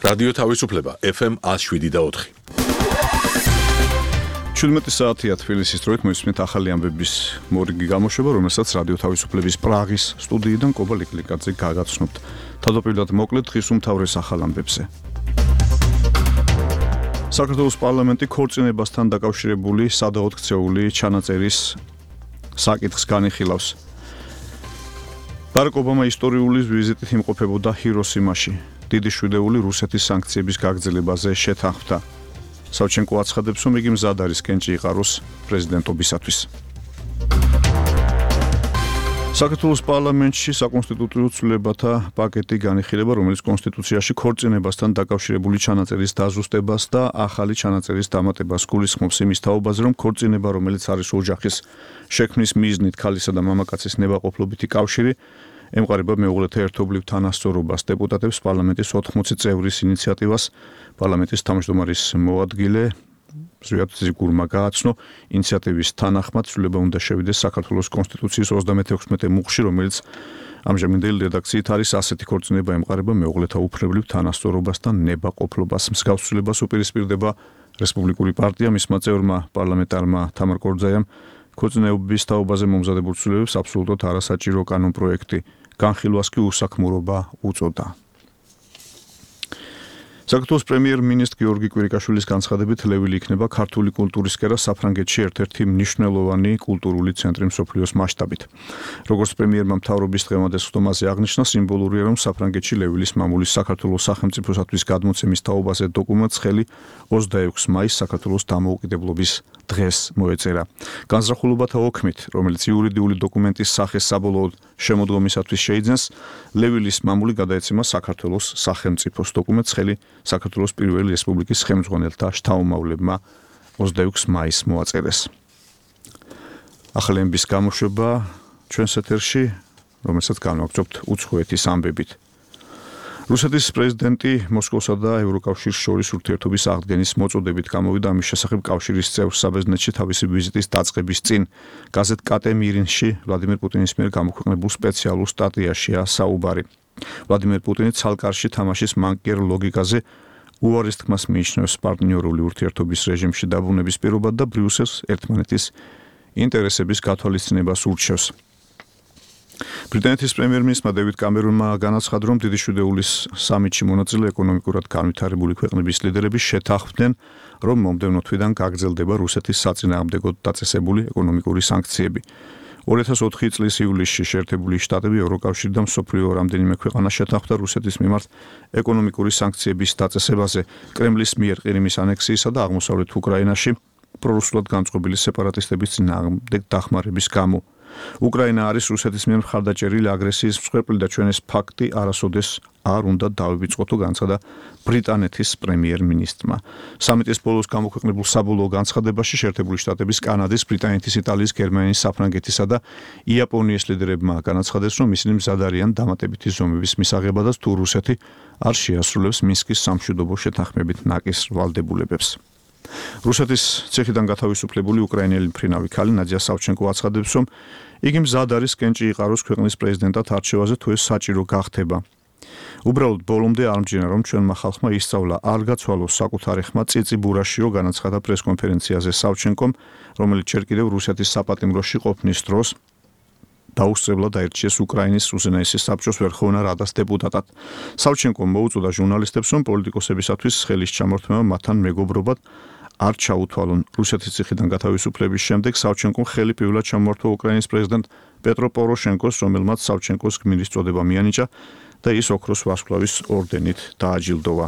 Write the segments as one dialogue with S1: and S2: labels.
S1: რადიო თავისუფლება FM 107.4.
S2: 17 საათია თბილისის დროით მოისმენთ ახალი ამბების მორიგი გამოშვება, რომელსაც რადიო თავისუფლების პრაღის სტუდიიდან კობა ლიკლიკაძე გაგაცნობთ. თავდაპირველად მოკლედ დღის უმთავრეს ახალ ამბებზე. საქართველოს პარლამენტი ქორწინებასთან დაკავშირებული სადავოდ ქცეული ჩანაწერის საკითხს განიხილავს. ბარაკ ობამა ისტორიული ვიზიტით იმყოფებოდა ჰიროსიმაში. დიდი შვიდეული რუსეთის სანქციების გაგრძელებაზე შეთანხმდა. სავჩენკო აცხადებს, რომ იგი მზად არის კენჭი იყაროს პრეზიდენტობისათვის. საქართველოს პარლამენტში საკონსტიტუციო ცვლილებათა პაკეტი განიხილება, რომელიც კონსტიტუციაში ქორწინებასთან დაკავშირებული ჩანაწერის დაზუსტებას და ახალი ჩანაწერის დამატებას გულისხმობს იმის თაობაზე, რომ ქორწინება, რომელიც არის ოჯახის შექმნის მიზნით ქალისა და მამაკაცის ნებაყოფლობითი კავშირი, ემყარება მეუღლეთა ერთობლივ თანასწორობას. დეპუტატებს პარლამენტის 80 წევრის ინიციატივას პარლამენტის თავმჯდომარის მოადგილე ზვიად ზიგურმა გააცნო, ინიციატივის თანახმად ცვლილება უნდა შევიდეს საქართველოს კონსტიტუციის 36 მუხში, რომელიც ამჟამინდელი რედაქციით არის ასეთი ქორწინება ემყარება მეუღლეთა უფლებრივ თანასწორობას და ნებაყოფლობას. მსგავს ცვლილებას უპირისპირდება რესპუბლიკური პარტია, მისმა წევრმა პარლამენტარმა თამარ კორძაიამ ქორწინებების თაობაზე მომზადებულ ცვლილებებს აბსოლუტურად არასაჭირო კანონპროექტი განხილვას კი უსაქმურობა უწოდა. საქართველოს პრემიერ-მინისტრ გიორგი კვირიკაშვილის განცხადებით ლევილი იქნება ქართული კულტურის კერა საფრანგეთში ერთ-ერთი მნიშვნელოვანი კულტურული ცენტრი მსოფლიოს მასშტაბით. როგორც პრემიერმა მთავრობის დღევანდელ ხდომაზე აღნიშნა, სიმბოლურია, რომ საფრანგეთში ლევილის მამულის საქართველოს სახელმწიფოსათვის გადმოცემის თაობაზე დოკუმენტს ხელი 26 მაისს საქართველოს დამოუკიდებლობის დღეს მოეწერა. განზრახულობათა ოქმით, რომელიც იურიდიული დოკუმენტის სახეს საბოლოოდ შემოდგომისათვის შეიძენს, ლევილის მამული გადაეცემა საქართველოს სახელმწიფოს დოკუმენტს ხელი საქართველოს პირველი რესპუბლიკის ხელმძღვანელთა შთამომავლებმა 26 მაისს მოაწერეს. ახალი ამბების გამოშვება ჩვენს ეთერში, რომელსაც განვაგრძობთ უცხოეთის ამბებით. რუსეთის პრეზიდენტი მოსკოვსა და ევროკავშირს შორის ურთიერთობის აღდგენის მოწოდებით გამოვიდა, ამის შესახებ კავშირის წევრ საბერძნეთში თავისი ვიზიტის დაწყების წინ გაზეთ კატე მირინში ვლადიმერ პუტინის მიერ გამოქვეყნებულ სპეციალურ სტატიაშია საუბარი. ვლადიმერ პუტინი ცალკარში თამაშის მანკიერ ლოგიკაზე უარის თქმას მიიჩნევს პარტნიორული ურთიერთობის რეჟიმში დაბრუნების პირობად და ბრიუსელს ერთმანეთის ინტერესების გათვალისწინებას ურჩევს. ბრიტანეთის პრემიერ-მინისტრმა დევიდ კამერონმა განაცხადა, რომ დიდი შვიდეულის სამიტში მონაწილე ეკონომიკურად განვითარებული ქვეყნების ლიდერები შეთანხმდნენ, რომ მომდევნო თვიდან გაგრძელდება რუსეთის საწინააღმდეგოდ დაწესებული ეკონომიკური სანქციები. 2004 წლის ივლისში შეერთებული შტატები, ევროკავშირი და მსოფლიო რამდენიმე ქვეყანა შეთანხმდა რუსეთის მიმართ ეკონომიკური სანქციების დაწესებაზე კრემლის მიერ ყირიმის ანექსიისა და აღმოსავლეთ უკრაინაში პრორუსულად განწყობილი სეპარატისტების წინააღმდეგ დახმარების გამო. უკრაინა არის რუსეთის მიერ მხარდაჭერილი აგრესიის მსხვერპლი და ჩვენ ეს ფაქტი არასოდეს არ უნდა დავივიწყოთ, განცხადა ბრიტანეთის პრემიერ-მინისტრმა. სამიტის ბოლოს გამოქვეყნებულ საბოლოო განცხადებაში შეერთებული შტატების, კანადის, ბრიტანეთის, იტალიის, გერმანიის, საფრანგეთისა და იაპონიის ლიდერებმა განაცხადეს, რომ ისინი მზად არიან დამატებითი ზომების მისაღებადაც თუ რუსეთი არ შეასრულებს მინსკის სამშვიდობო შეთანხმებით ნაკის ვალდებულებებს. რუსეთის ციხიდან გათავისუფლებული უკრაინელი მფრინავი ქალი ნადია სავჩენკო აცხადებს, რომ იგი მზად არის კენჭი იყაროს ქვეყნის პრეზიდენტად არჩევაზე თუ ეს საჭირო გახდება. უბრალოდ ბოლომდე არ მჯერა, რომ ჩვენმა ხალხმა ისწავლა არ გაცვალოს საკუთარი ხმა წიწიბურაშიო, განაცხადა პრესკონფერენციაზე სავჩენკომ, რომელიც ჯერ კიდევ რუსეთის საპატიმროში ყოფნის დროს დაუსწრებლად აირჩიეს უკრაინის უზენაესი საბჭოს ვერხოვნა რადას დეპუტატად. სავჩენკომ მოუწოდა ჟურნალისტებს, რომ პოლიტიკოსებისათვის ხელის ჩამორთმევა მათთან მეგობრობად არ ჩაუთვალონ. რუსეთის ციხიდან გათავისუფლების შემდეგ სავჩენკომ ხელი პირველად ჩამოართვა უკრაინის პრეზიდენტ პეტრო პოროშენკოს, რომელმაც სავჩენკოს გმირის წოდება მიანიჭა და ის ოქროს ვარსკვლავის ორდენით დააჯილდოვა.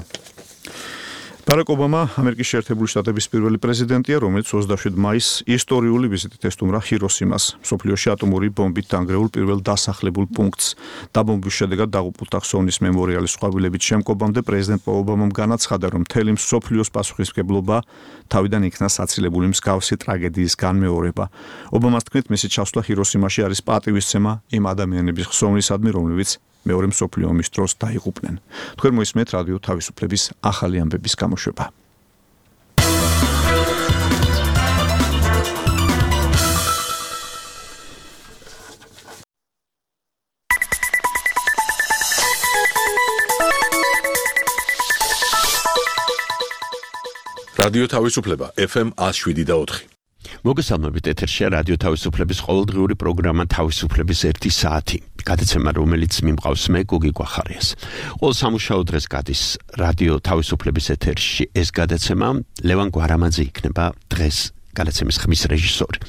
S2: ბარაკ ობამა ამერიკის შეერთებული შტატების პირველი პრეზიდენტია, რომელიც 27 მაისს ისტორიული ვიზიტით ესტუმრა ჰიროსიმას, მსოფლიოში ატომური ბომბით დანგრეულ პირველ დასახლებულ პუნქტს. დაბომბვის შედეგად დაღუპულთა ხსოვნის მემორიალის ყვავილებით შემკობამდე პრეზიდენტ ობამამ განაცხადა, რომ მთელი მსოფლიოს პასუხისმგებლობა თავიდან იქნა საცილებული მსგავსი ტრაგედიის განმეორება. ობამას თქმით, მისი ჩასვლა ჰიროსიმაში არის პატივისცემა იმ ადამიანების ხსოვნისადმი, რომლებიც მეორე მსოფლიო ომის დროს დაიღუპნენ. თქვენ მოისმენთ რადიო თავისუფლების ახალი ამბების გამოშვება.
S1: რადიო თავისუფლება FM 107.4.
S3: მოგესალმებით, ეთერშია რადიო თავისუფლების ყოველდღიური პროგრამა თავისუფლების 1 საათი. გადაცემა, რომელიც მიმყავს მე გოგი გვახარიას. ყოველ სამუშაო დღეს გადის რადიო თავისუფლების ეთერში ეს გადაცემა. ლევან გვარამაძე იქნება დღეს გადაცემის ხმის რეჟისორი.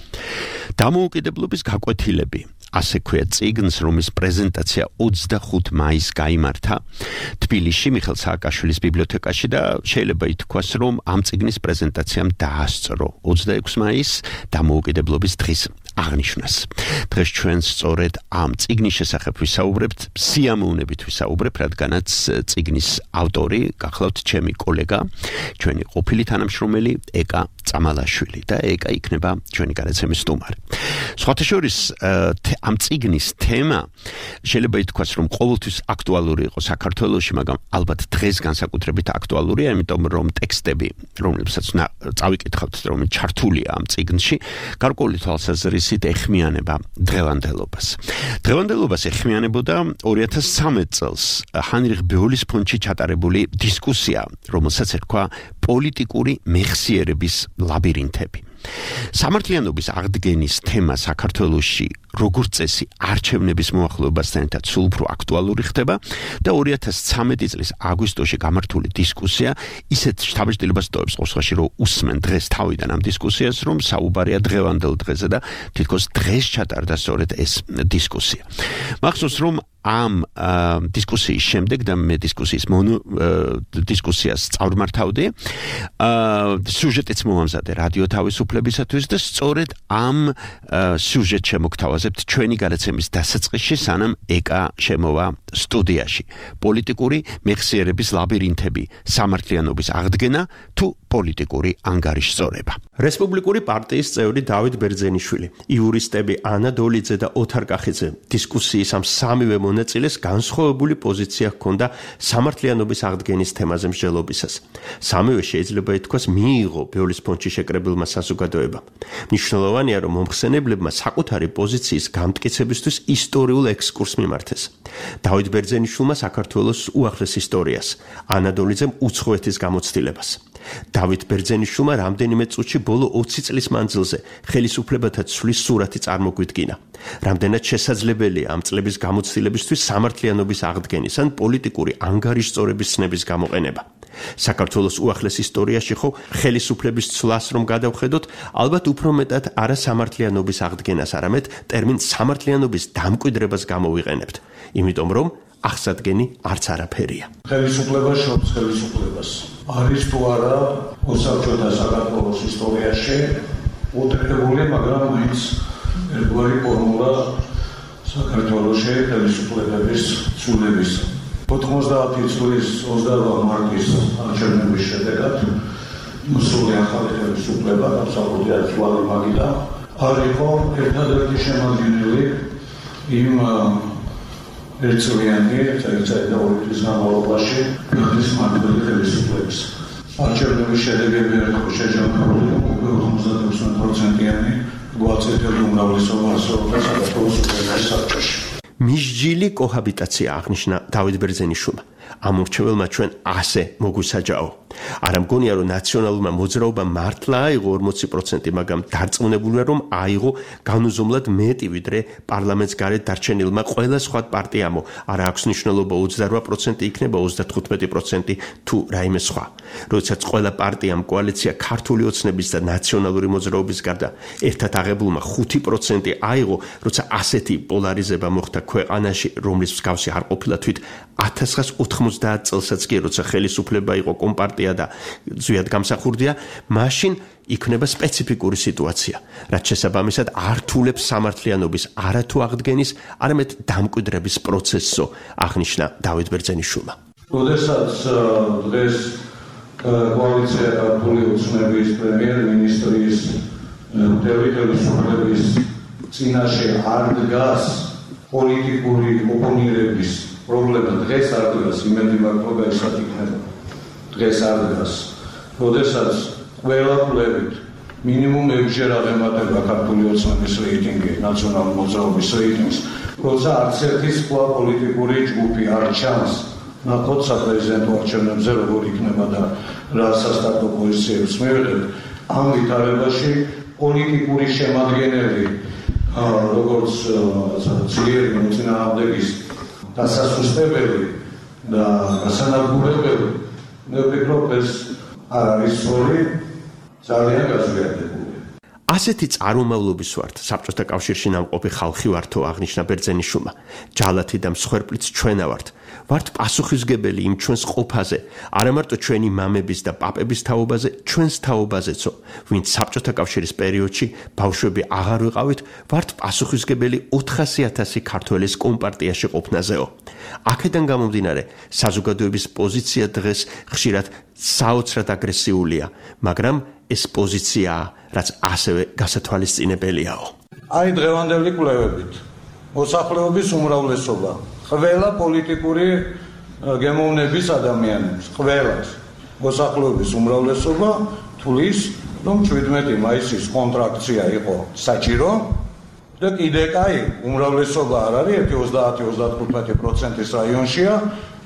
S3: დამოუკიდებლობის გაკვეთილები. ასე ქვია წიგნს, რომლის პრეზენტაცია 25 მაისს გაიმართა თბილისში მიხეილ სააკაშვილის ბიბლიოთეკაში და შეიძლება ითქვას, რომ ამ წიგნის პრეზენტაციამ დაასწრო 26 მაისს დამოუკიდებლობის დღის აღნიშვნას. დღეს ჩვენ სწორედ ამ წიგნის შესახებ ვისაუბრებთ, სიამოვნებით ვისაუბრებთ, რადგანაც წიგნის ავტორი გახლავთ ჩემი კოლეგა, ჩვენი ყოფილი თანამშრომელი ეკა წამალაშვილი და ეკა იქნება ჩვენი გადაცემის სტუმარი. სხვათა შორის ამ წიგნის თემა შეიძლება ითქვას, რომ ყოველთვის აქტუალური იყო საქართველოში, მაგრამ ალბათ დღეს განსაკუთრებით აქტუალურია, იმიტომ რომ ტექსტები, რომლებსაც წავიკითხავთ, რომელიც ჩართულია ამ წიგნში, გარკვეული თვალსაზრისით ეხმიანება დღევანდელობას. დღევანდელობას ეხმიანებოდა 2013 წელს ჰაინრიხ ბეულის ფონდში ჩატარებული დისკუსია, რომელსაც ერქვა პოლიტიკური მეხსიერების ლაბირინთები. სამართლიანობის აღდგენის თემა საქართველოში როგორც წესი არჩევნების მოახლოებასთან ერთად სულ უფრო აქტუალური ხდება და 2013 წლის აგვისტოში გამართული დისკუსია ისეთ შთაბეჭდილებას ტოვებს ყოველში, რომ უსმენ დღეს თავიდან ამ დისკუსიას, რომ საუბარია დღევანდელ დღეზე და თითქოს დღეს ჩატარდა სწორედ ეს დისკუსია. მახსოვს, რომ ამ დისკუსიის შემდეგ და მე დისკუსიას წავმართავდი, სიუჟეტიც მომამზადე რადიო თავისუფლებისათვის და სწორედ ამ სიუჟეტს შემოგთავაზებთ ჩვენი გადაცემის დასაწყისში, სანამ ეკა შემოვა სტუდიაში. პოლიტიკური მეხსიერების ლაბირინთები, სამართლიანობის აღდგენა თუ პოლიტიკური ანგარიშწორება. რესპუბლიკური პარტიის წევრი დავით ბერძენიშვილი, იურისტები ანა დოლიძე და ოთარ კახიძე დისკუსიის ამ სამივე მონაწილეს განსხვავებული პოზიცია ჰქონდა სამართლიანობის აღდგენის თემაზე მსჯელობისას. სამივე შეიძლება ითქვას მიიღო ბეულის ფონდში შეკრებილმა საზოგადოებამ. მნიშვნელოვანია, რომ მომხსენებლებმა საკუთარი პოზიციის გამტკიცებისთვის ისტორიულ ექსკურსს მიმართეს. დავით ბერძენიშვილმა საქართველოს უახლეს ისტორიას, ანა დოლიძემ უცხოეთის გამოცდილებას. დავით ბერძენიშვილმა რამდენიმე წუთში ბოლო 20 წლის მანძილზე ხელისუფლებათა ცვლის სურათი წარმოგვიდგინა. რამდენად შესაძლებელია ამ წლების გამოცდილებისთვის სამართლიანობის აღდგენის ან პოლიტიკური ანგარიშწორების ცნების გამოყენება. საქართველოს უახლეს ისტორიაში ხო ხელისუფლების ცვლას რომ გადავხედოთ, ალბათ უფრო მეტად არა სამართლიანობის აღდგენას, არამედ ტერმინ სამართლიანობის დამკვიდრებას გამოვიყენებთ, იმიტომ რომ აღსადგენი არც არაფერია.
S4: ხელისუფლება შობს ხელისუფლებას. არის თუ არა ოსაბჭოთა საქართველოს ისტორიაში უტყდებული, მაგრამ მაინც ერთგვარი ფორმულა საქართველოში ხელისუფლების ცვლილების. 90 წლის 28 მარტის არჩევნების შედეგად მოსული ახალი ხელისუფლება, განსაკუთრებით თვალე მაგიდან, არ იყო ერთადერთი შემადგენელი იმ ერთწლიანი და 2 წლის განმავლობაში გადის მარტივი ხელისუფლების. არჩევნების შედეგები ერთხელ შეჯამებული 96%-იანი გვაწედელი უმრავლესობა ასრულებდა საქართველოს უპირატეს საბჭოში.
S3: მისჯილი კოჰაბიტაცია აღნიშნა დავით ბერძენიშვილმა. ამ მორჩეველმა ჩვენ ასე მოგვისაჯაო. არა მგონია, რომ ნაციონალურმა მოძრაობამ მართლა აიღო 40%, მაგრამ დარწმუნებულია, რომ აიღო განუზომლად მეტი, ვიდრე პარლამენტს გარეთ დარჩენილმა ყველა სხვა პარტიამო. არა აქვს მნიშვნელობა 28% იქნება 35% თუ რაიმე სხვა. როდესაც ყველა პარტიამ კოალიცია ქართული ოცნების და ნაციონალური მოძრაობის გარდა ერთად აღებულმა 5% აიღო, როცა ასეთი პოლარიზება მოხდა ქვეყანაში, რომლის მსგავსი არ ყოფილა თვით 1990 წელსაც კი, როცა ხელისუფლება იყო კომპარტია და ზუსტად გამსახურდია, მაშინ იქნება სპეციფიკური სიტუაცია, რაც შესაბამისად ართულებს სამართლიანობის არათუ აღდგენის, არამედ დამკვიდრების პროცესსო, აღნიშნა დავით ბერძენიშვილმა.
S4: როდესაც დღეს კოალიცია ქართული ოცნების პრემიერ-მინისტრის ხელისუფლების წინაშე არ დგას პოლიტიკური ოპონირების პრობლემა, დღეს არ დგას, იმედი მაქვს, რომ ესად იქნება. დღეს არ დგას. როდესაც ყველა კვლევით მინიმუმ 6-ჯერ აღემატება ქართული ოცნების რეიტინგი, ნაციონალური მოძრაობის რეიტინგს, როცა არც ერთი სხვა პოლიტიკური ჯგუფი არ ჩანს ნახოთ საპრეზიდენტო არჩევნებზე როგორ იქნება და რა სასტარტო პოზიციებს მივიღებთ. ამ ვითარებაში პოლიტიკური შემადგენელი როგორც ძლიერი მოწინააღმდეგის დასასუსტებელი და გასანადგურებელი მე ვფიქრობ ეს არ არის სწორი, ძალიან გაზრდილი.
S3: ასეთი წარმომავლობის ვართ საბჭოთა კავშირში ნამყოფი ხალხი ვართო აღნიშნა ბერძენიშვილმა. ჯალათი და მსხვერპლიც ჩვენა ვართ პასუხისგებელი იმ ჩვენს ყოფაზე, არა მარტო ჩვენი მამების და პაპების თაობაზე, ჩვენს თაობაზეცო, ვინც საბჭოთა კავშირის პერიოდში ბავშვები აღარ ვიყავით, ვართ პასუხისგებელი 400,000 ქართველის კომპარტიაში ყოფნაზეო. აქედან გამომდინარე, საზოგადოების პოზიცია დღეს ხშირად საოცრად აგრესიულია, მაგრამ ეს პოზიციაა, რაც ასევე გასათვალისწინებელიაო.
S4: აი დღევანდელი კვლევებით მოსახლეობის უმრავლესობა ყველა პოლიტიკური გემოვნების ადამიანებს, ყველას მოსახლეობის უმრავლესობა თulis, რომ 17 მაისის კონტრაქცია იყო საჭირო და კიდე კაი უმრავლესობა არ არის 30-35%-ის რაიონშია,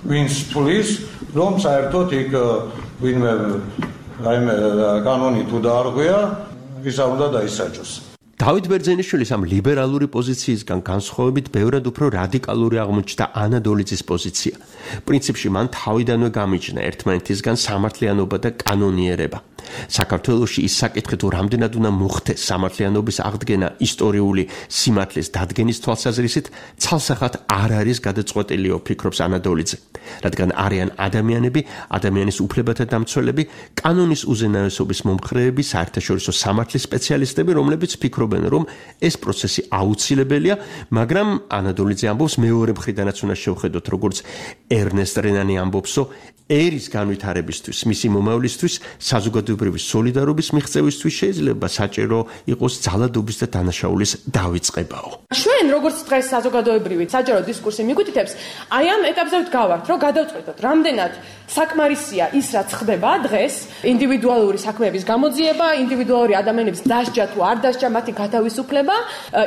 S4: ვინც თulis, რომ საერთოდ იქ ვინმე კანონი თუ დაარღვია, ისა უნდა დაისაჯოს.
S3: დავით ბერძენიშვილის ამ ლიბერალური პოზიციისგან განსხვავებით ბევრად უფრო რადიკალური აღმოჩნდა ანა დოლიძის პოზიცია. პრინციპში მან თავიდანვე გამიჯნა ერთმანეთისგან სამართლიანობა და კანონიერება. საქართველოში ის საკითხი თუ რამდენად უნდა მოხდეს სამართლიანობის აღდგენა ისტორიული სიმართლის დადგენის თვალსაზრისით, ცალსახად არ არის გადაწყვეტილიო, ფიქრობს ანა დოლიძე. რადგან არიან ადამიანები, ადამიანის უფლებათა დამცველები, კანონის უზენაესობის მომხრეები, საერთაშორისო სამართლის სპეციალისტები, რომლებიც ფიქრობენ, რომ ეს პროცესი აუცილებელია, მაგრამ ანა დოლიძე ამბობს მეორე მხრიდანაც უნდა შევხედოთ, როგორც ერნესტ რენანი ამბობსო, ერის განვითარებისთვის, მისი მომავლისთვის, საზოგადოებრივი სოლიდარობის მიღწევისთვის შეიძლება საჭირო იყოს ძალადობის და დანაშაულის დავიწყებაო.
S5: ჩვენ როგორც დღეს საზოგადოებრივი საჯარო დისკურსი მიგვიტითებს, აი ამ ეტაპზე ვდგავართ, რომ გადავწყვეტოთ, რამდენად საკმარისია ის, რაც ხდება დღეს, ინდივიდუალური საქმეების გამოძიება, ინდივიდუალური ადამიანების დასჯა თუ არ დასჯა, მათი გათავისუფლება,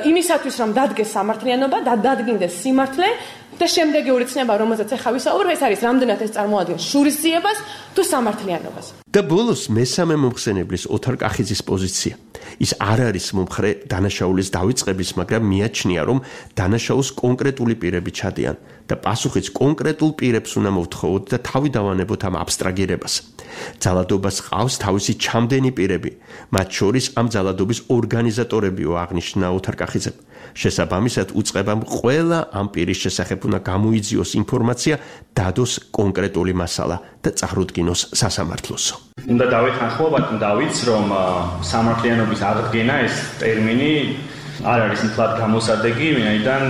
S5: იმისათვის, რომ დადგეს სამართლიანობა და დადგინდეს სიმართლე და შემდეგი ცნება, რომელზეც ახლა ვისაუბრებ, ეს არის რამდენად ეს წარმოადგენს შურისძიებას თუ სამართლიანობას.
S3: და ბოლოს მესამე მომხსენებლის ოთარ კახიძის პოზიცია. ის არ არის მომხრე დანაშაულის დავიწყების, მაგრამ მიაჩნია, რომ დანაშაულს კონკრეტული პირები ჩადიან და პასუხიც კონკრეტულ პირებს უნდა მოვთხოვოთ და თავი დავანებოთ ამ აბსტრაგირებას. ძალადობას ყავს თავისი ჩამდენი პირები, მათ შორის ამ ძალადობის ორგანიზატორებიო, აღნიშნა ოთარ კახიძემ. შესაბამისად უწყებამ ყველა ამ პირის შესახებ უნდა გამოიძიოს ინფორმაცია, დადოს კონკრეტული მასალა და წარუდგინოს სასამართლოსო.
S6: უნდა დავეთანხმობათ, დავიც, რომ სამართლიანობის აღდგენა ეს ტერმინი არ არის მთლად გამოსადეგი, ვინაიდან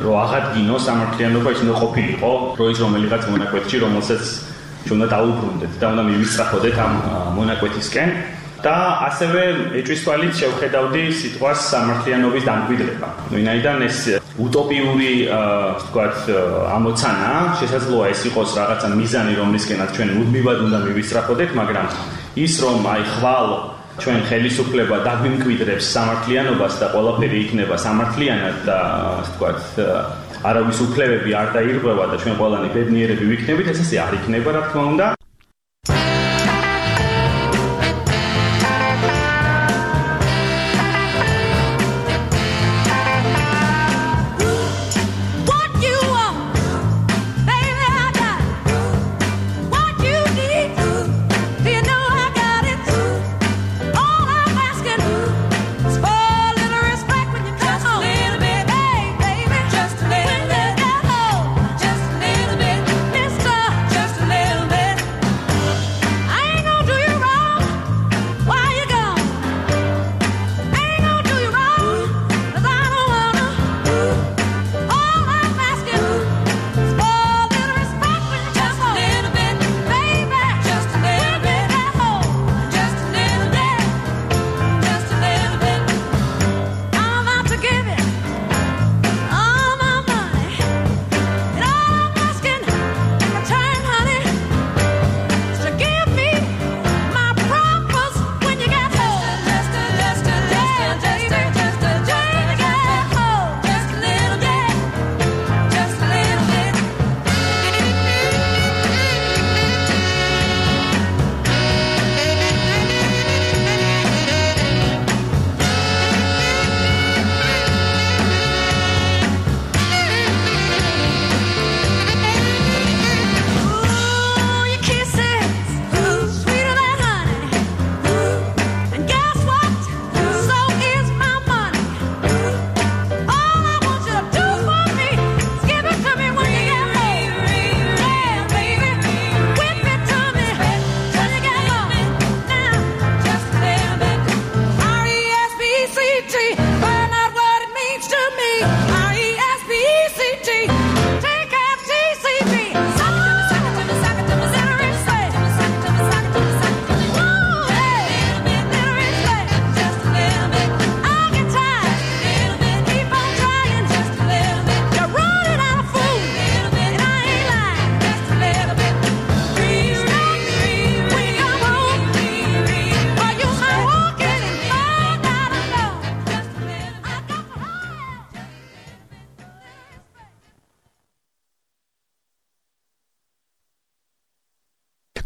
S6: რომ აღადგინოს სამართლიანობა ის უნდა ყოფილიყო დროის რომელიღაც მონაკვეთში, რომელსაც ჩვენ უნდა დაუბრუნდეთ და უნდა მივისწრაფოდეთ ამ მონაკვეთისკენ. და ასევე ეჭვის თვალით შევხედავდი სიტყვას სამართლიანობის დამკვიდრება. ვინაიდან ეს უტოპიური, ვთქვათ, ამოცანა, შესაძლოა ეს იყოს რაღაცა მიზანი, რომლისკენაც ჩვენ მუდმივად უნდა მივისწრაფოდეთ, მაგრამ ის რომ აი ხვალ ჩვენ ხელისუფლება დაგვიმკვიდრებს სამართლიანობას და ყველაფერი იქნება სამართლიანად და ვთქვათ, არავის უფლებები არ დაირღვევა და ჩვენ ყველანი ბედნიერები ვიქნებით, ეს ასე არ იქნება, რა თქმა უნდა.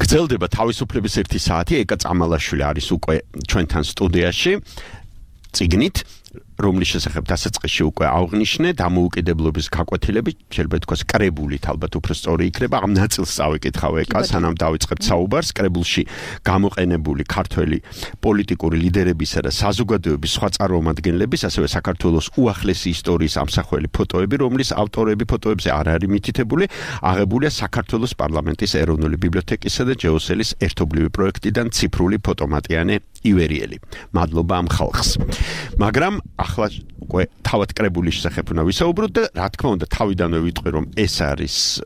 S3: გრძელდება თავისუფლების 1 საათი. ეკა წამალაშვილი არის უკვე ჩვენთან სტუდიაში. წიგნით რომლის შესახებ დასაწყისში უკვე აღვნიშნე დამოუკიდებლობის გაკვეთილები, შეიძლება ითქვას კრებულით, ალბათ უფრო სწორი იქნება. ამ ნაწილს წავიკითხავ ეკა, სანამ დავიწყებთ საუბარს. კრებულში გამოყენებული ქართველი პოლიტიკური ლიდერებისა და საზოგადოების სხვა წარმომადგენლების, ასევე საქართველოს უახლესი ისტორიის ამსახველი ფოტოები, რომლის ავტორები ფოტოებზე არ არის მითითებული, აღებულია საქართველოს პარლამენტის ეროვნული ბიბლიოთეკისა და ჯეოსელის ერთობლივი პროექტიდან ციფრული ფოტომატიანე ივერიელი. მადლობა ამ ხალხს. მაგრამ ახლა უკვე თავად კრებულის შესახებ უნდა ვისაუბროთ და რა თქმა უნდა თავიდანვე ვიტყვი რომ ეს არის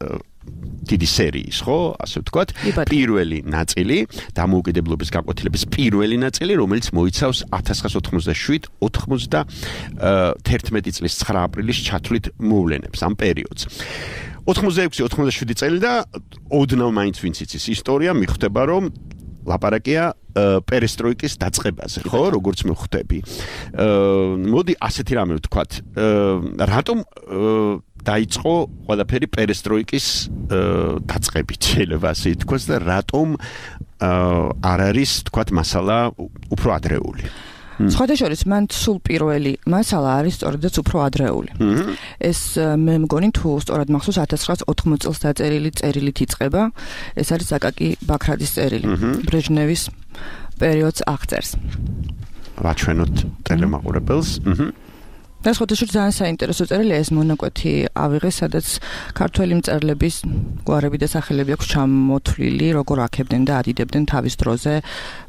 S3: დიდი სერიის, ხო, ასე ვთქვათ, პირველი ნაწილი, დამოუკიდებლობის გაკვეთილების პირველი ნაწილი, რომელიც მოიცავს 1997-91 წლის 9 აპრილის ჩათვლით მოვლენებს ამ პერიოდს. 86-87 წელი და ოდნავ მაინც ვინც იცის ისტორია მიხვდება რომ ლაპარაკია პერესტროიკის დაწყებაზე, ხო, როგორც მივხვდები. მოდი ასეთი რამე ვთქვათ, რატომ დაიწყო ყველაფერი პერესტროიკის დაწყებით, შეიძლება ასე ითქვას და რატომ არ არის, ვთქვათ, მასალა უფრო ადრეული.
S7: სხვადასხვა მან სულ პირველი მასალა არის სწორედაც უფრო ადრეული. ეს მე მგონი თუ სწორად მახსოვს 1980 წელს დაწერილი წერილით იწყება. ეს არის აკაკი ბაქრაძის წერილი. ბრეჟნევის პერიოდს აღწერს.
S3: ვაჩვენოთ ტელემაყურებელს.
S7: და სხვადასხვა ძალიან საინტერესო წერილია ეს მონაკვეთი ავიღეს, სადაც ქართველი მწერლების გვარები და სახელები აქვს ჩამოთვლილი, როგორ აქებდნენ და ადიდებდნენ თავის დროზე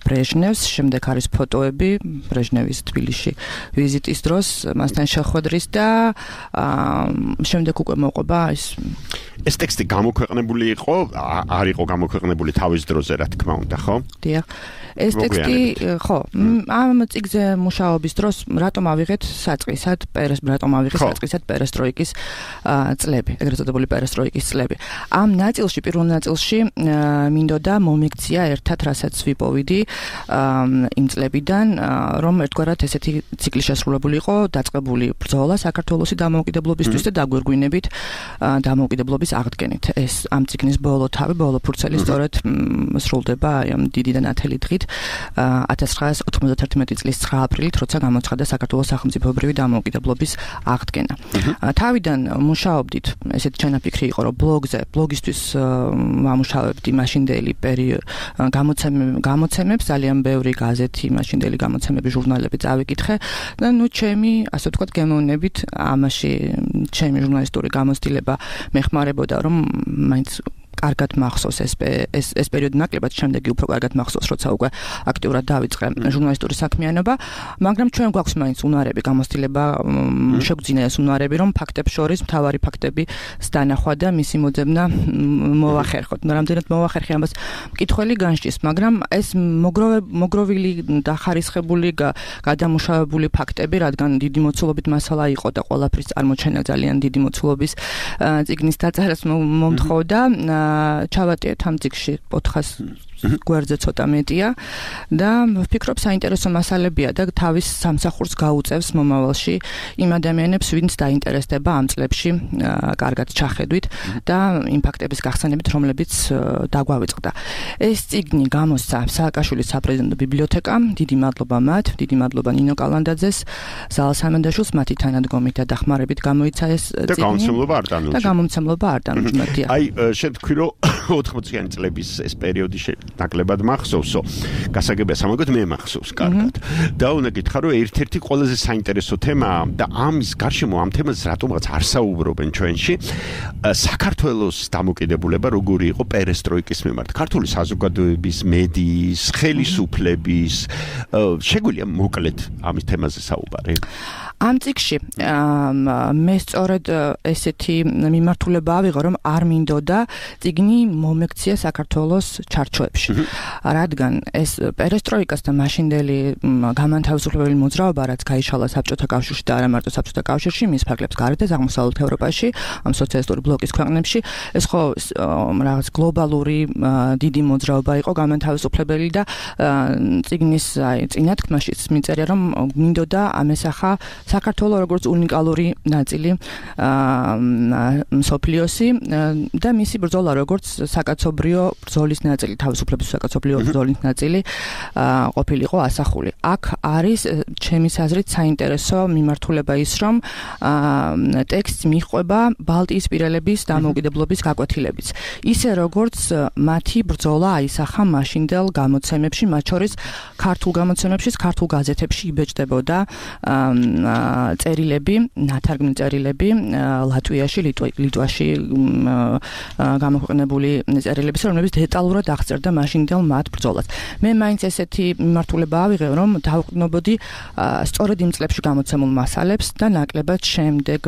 S7: ბრეჟნევს. შემდეგ არის ფოტოები ბრეჟნევის თბილისში ვიზიტის დროს, მასთან შეხვედრის და შემდეგ უკვე მოყვება
S3: ეს ტექსტი გამოქვეყნებული იყო, არ იყო გამოქვეყნებული თავის დროზე, რა თქმა უნდა, ხო?
S7: დიახ. ეს ტექსტი, ხო, ამ წიგნზე მუშაობის დროს რატომ ავიღეთ საწყისად პერესტროიკის წლები, ეგრეთ წოდებული პერესტროიკის წლები. ამ ნაწილში, პირველ ნაწილში მინდოდა მომექცია ერთად, რასაც ვიპოვიდი იმ წლებიდან, რომ ერთგვარად ესეთი ციკლი შესრულებული იყო, დაწყებული ბრძოლა საქართველოს დამოუკიდებლობისთვის და დაგვირგვინებით დამოუკიდებლობის აღდგენით. ეს ამ წიგნის ბოლო ფურცელი სწორედ სრულდება ამ დიდი და ნათელი დღით 1991 წლის 9 აპრილით, როცა გამოცხადდა საქართველოს სახელმწიფოებრივი დამოუკიდებლობის აღდგენა. თავიდან მუშაობდით, ესეთი ჩანაფიქრი იყო, რომ ბლოგისთვის ვამუშავებდი მაშინდელი გამოცემებს, ძალიან ბევრი გაზეთი, მაშინდელი გამოცემები, ჟურნალები წავიკითხე და ჩემი, ასე ვთქვათ, გემოვნებით ამაში ჩემი ჟურნალისტური გამოცდილება მეხმარებოდა, რომ მაინც კარგად მახსოვს ეს პერიოდი ნაკლებად, შემდეგი უფრო კარგად მახსოვს, როცა უკვე აქტიურად დავიწყე ჟურნალისტური საქმიანობა, მაგრამ ჩვენ გვაქვს მაინც უნარები, გამოცდილება შეგვძინა ეს უნარები, რომ ფაქტებს შორის მთავარი ფაქტების დანახვა და მისი მოძებნა მოვახერხოთ. რამდენად მოვახერხე ამას მკითხველი განსჯის, მაგრამ ეს მოგროვილი და ხარისხებული გადამუშავებული ფაქტები, რადგან დიდი მოცულობით მასალა იყო და ყველაფრის წარმოჩენა ძალიან დიდი მოცულობის წიგნის დაწერას მომთხოვდა, ჩავატიეთ ამ წიგნში 400 გვერდზე ცოტა მეტია და ვფიქრობ საინტერესო მასალებია და თავის სამსახურს გაუწევს მომავალში იმ ადამიანებს, ვინც დაინტერესდება ამ წლებში კარგად ჩახედვით და იმ ფაქტების გახსენებით, რომლებიც დაგვავიწყდა. ეს წიგნი გამოსცა სააკაშვილის საპრეზიდენტო ბიბლიოთეკამ, დიდი მადლობა მათ, დიდი მადლობა ნინო კალანდაძეს, ზალა სამანდაშვილს, მათი თანადგომით და დახმარებით გამოიცა ეს წიგნი. და გამომცემლობა არ დანუჯდა.
S3: აი, შეთქვი რომ 80-იანი წლების ეს პერიოდი ნაკლებად მახსოვსო. გასაგებია, სამაგოდ მე მახსოვს კარგად. და უნდა გითხრა, რომ ერთ-ერთი ყველაზე საინტერესო თემაა და ამის გარშემო ამ თემაზე რატომღაც არ საუბრობენ ჩვენში, საქართველოს დამოუკიდებულება როგორი იყო პერესტროიკის მიმართ. ქართული საზოგადოების, მედიის, ხელისუფლების, შეგვიძლია მოკლედ ამის თემაზე საუბარი?
S7: ამ წიგნში მე სწორედ ესეთი მიმართულება ავიღო, რომ არ მინდოდა წიგნი მომექცია საქართველოს ჩარჩოებში. რადგან ეს პერესტროიკასთან მაშინდელი გამანთავისუფლებელი მოძრაობა, რაც გაიშალა საბჭოთა კავშირში და არა მარტო საბჭოთა კავშირში, მის ფარგლებს გარეთაც აღმოსავლეთ ევროპაში, ამ სოციალისტური ბლოკის ქვეყნებში, ეს ხო რაღაც გლობალური დიდი მოძრაობა იყო გამანთავისუფლებელი და წიგნის წინათქმაშიც მიწერია, რომ მინდოდა ამესახა საქართველოს როგორც უნიკალური ნაწილი მსოფლიოსი და მისი ბრძოლა როგორც საკაცობრიო ბრძოლის ნაწილი, თავისუფლების საკაცობრიო ბრძოლის ნაწილი ყოფილიყო ასახული. აქ არის ჩემის აზრით საინტერესო მიმართულება ის, რომ ტექსტს მიჰყვება ბალტიისპირელების დამოუკიდებლობის გაკვეთილებიც. ისე როგორც მათი ბრძოლა აისახა მაშინდელ გამოცემებში, მათ შორის ქართულ გამოცემებში, ქართულ გაზეთებში იბეჭდებოდა წერილები, ნათარგმნი წერილები ლატვიაში, ლიტვაში გამოქვეყნებული წერილების, რომლებიც დეტალურად აღწერდა მაშინდელ მათ ბრძოლას. მე მაინც ესეთი მიმართულება ავიღე, რომ დავყნობოდი სწორედ იმ წლებში გამოცემულ მასალებს და ნაკლებად შემდეგ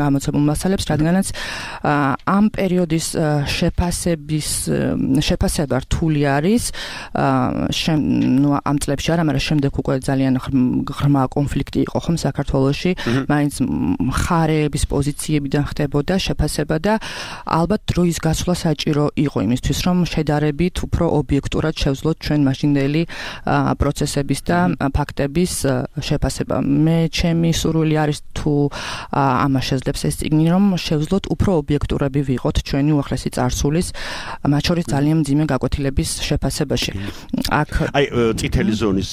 S7: გამოცემულ მასალებს, რადგანაც ამ პერიოდის შეფასება რთული არის, ამ წლებში არა, მაგრამ შემდეგ უკვე ძალიან ღრმა კონფლიქტი იყო ხომ საქართველოში, მაინც მხარეების პოზიციებიდან ხდებოდა შეფასება და ალბათ დროის გასვლა საჭირო იყო იმისთვის, რომ შედარებით უფრო ობიექტურად შევძლოთ ჩვენ მაშინდელი პროცესების და ფაქტების შეფასება. მე ჩემი სურვილი არის თუ ამას შეძლებს ეს წიგნი, რომ შევძლოთ უფრო ობიექტურები ვიყოთ ჩვენი უახლესი წარსულის, მათ შორის ძალიან მძიმე გაკვეთილების შეფასებაში.
S3: აი წითელი ზონის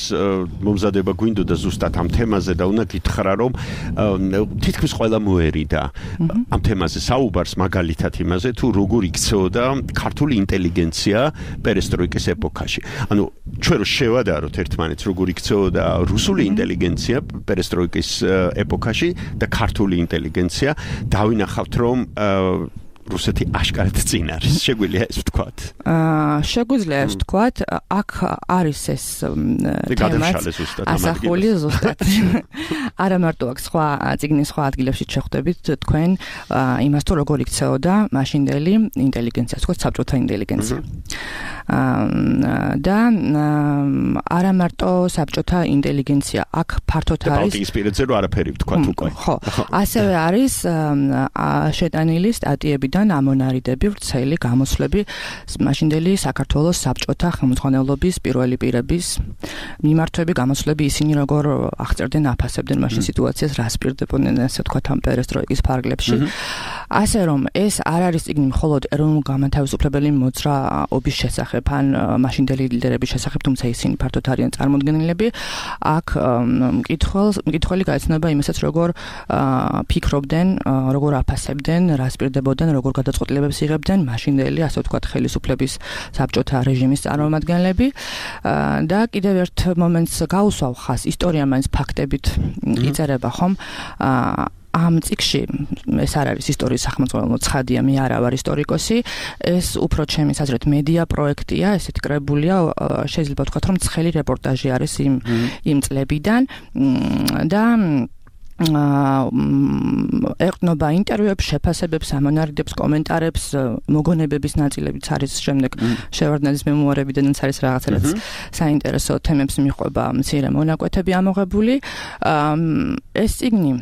S3: მომზადება გვინდოდა ზუსტად ამ თემაზე და უნდა გითხრა, რომ თითქმის ყველა მოერიდა ამ თემაზე საუბარს, მაგალითად იმაზე, თუ როგორ იქცეოდა ქართული ინტელიგენცია პერესტროიკის ეპოქაში. ანუ ჩვენ რო შევადაროთ ერთმანეთს, როგორ იქცეოდა რუსული ინტელიგენცია პერესტროიკის ეპოქაში და ქართული ინტელიგენცია, დავინახავთ, რომ რუსეთი აშკარად წინ არის. შეგვიძლია ეს ვთქვათ?
S7: შეგვიძლია ეს ვთქვათ. აქ არის ეს თემა ასახული ზუსტად. არა მარტო აქ სხვა წიგნის სხვა ადგილებში შეხვდებით თქვენ იმას, თუ როგორ იქცეოდა მაშინდელი ინტელიგენცია, თქო საბჭოთა ინტელიგენცია. და არა მარტო საბჭოთა ინტელიგენცია, აქ ფართოდ არის
S3: ბალტიისპირეთზე რო არაფერი ვთქვათ უკვე.
S7: ხო, ასევე არის შეტანილი სტატიებიდან ამონარიდები, ვრცელი გამოსვლები მაშინდელი საქართველოს საბჭოთა ხელმძღვანელობის პირველი პირების მიმართვები, გამოსვლები, ისინი როგორ აღწერდნენ, აფასებდნენ მაშინ სიტუაციას, რას პირდებოდნენ, ასე ვთქვათ, ამ პერესტროიკის ფარგლებში. ასე რომ ეს არ არის წიგნი მხოლოდ ეროვნულ-განმათავისუფლებელი მოძრაობის შესახებ, ან მაშინდელი ლიდერების შესახებ, თუმცა ისინი ფართოდ არიან წარმოდგენილები. აქ მკითხველი გაეცნობა იმასაც, როგორ ფიქრობდნენ, როგორ აფასებდნენ, რას პირდებოდნენ, როგორ გადაწყვეტილებებს იღებდნენ მაშინდელი, ასე ვთქვათ, ხელისუფლების საბჭოთა რეჟიმის წარმომადგენლები. და კიდევ ერთ მომენტს გაუსვავ ხაზს, ისტორია მაინც ფაქტებით იწერება, ხომ? ამ წიგნში ეს არ არის ისტორიის სახელმწიფო ცხადია, მე არა ვარ ისტორიკოსი, ეს უფრო ჩემი აზრით მედია პროექტია, ესეთი კრებულია, შეიძლება ვთქვათ, რომ ცხელი რეპორტაჟი არის იმ წლებიდან და ეყრდნობა ინტერვიუებს, შეფასებებს, ამონარიდებს, კომენტარებს, მოგონებების ნაწილებიც არის შემდეგ შევარდნაძის მემუარებიდანაც არის რაღაცა საინტერესო თემებს მიყვება მცირე მონაკვეთები ამოღებული. ეს წიგნი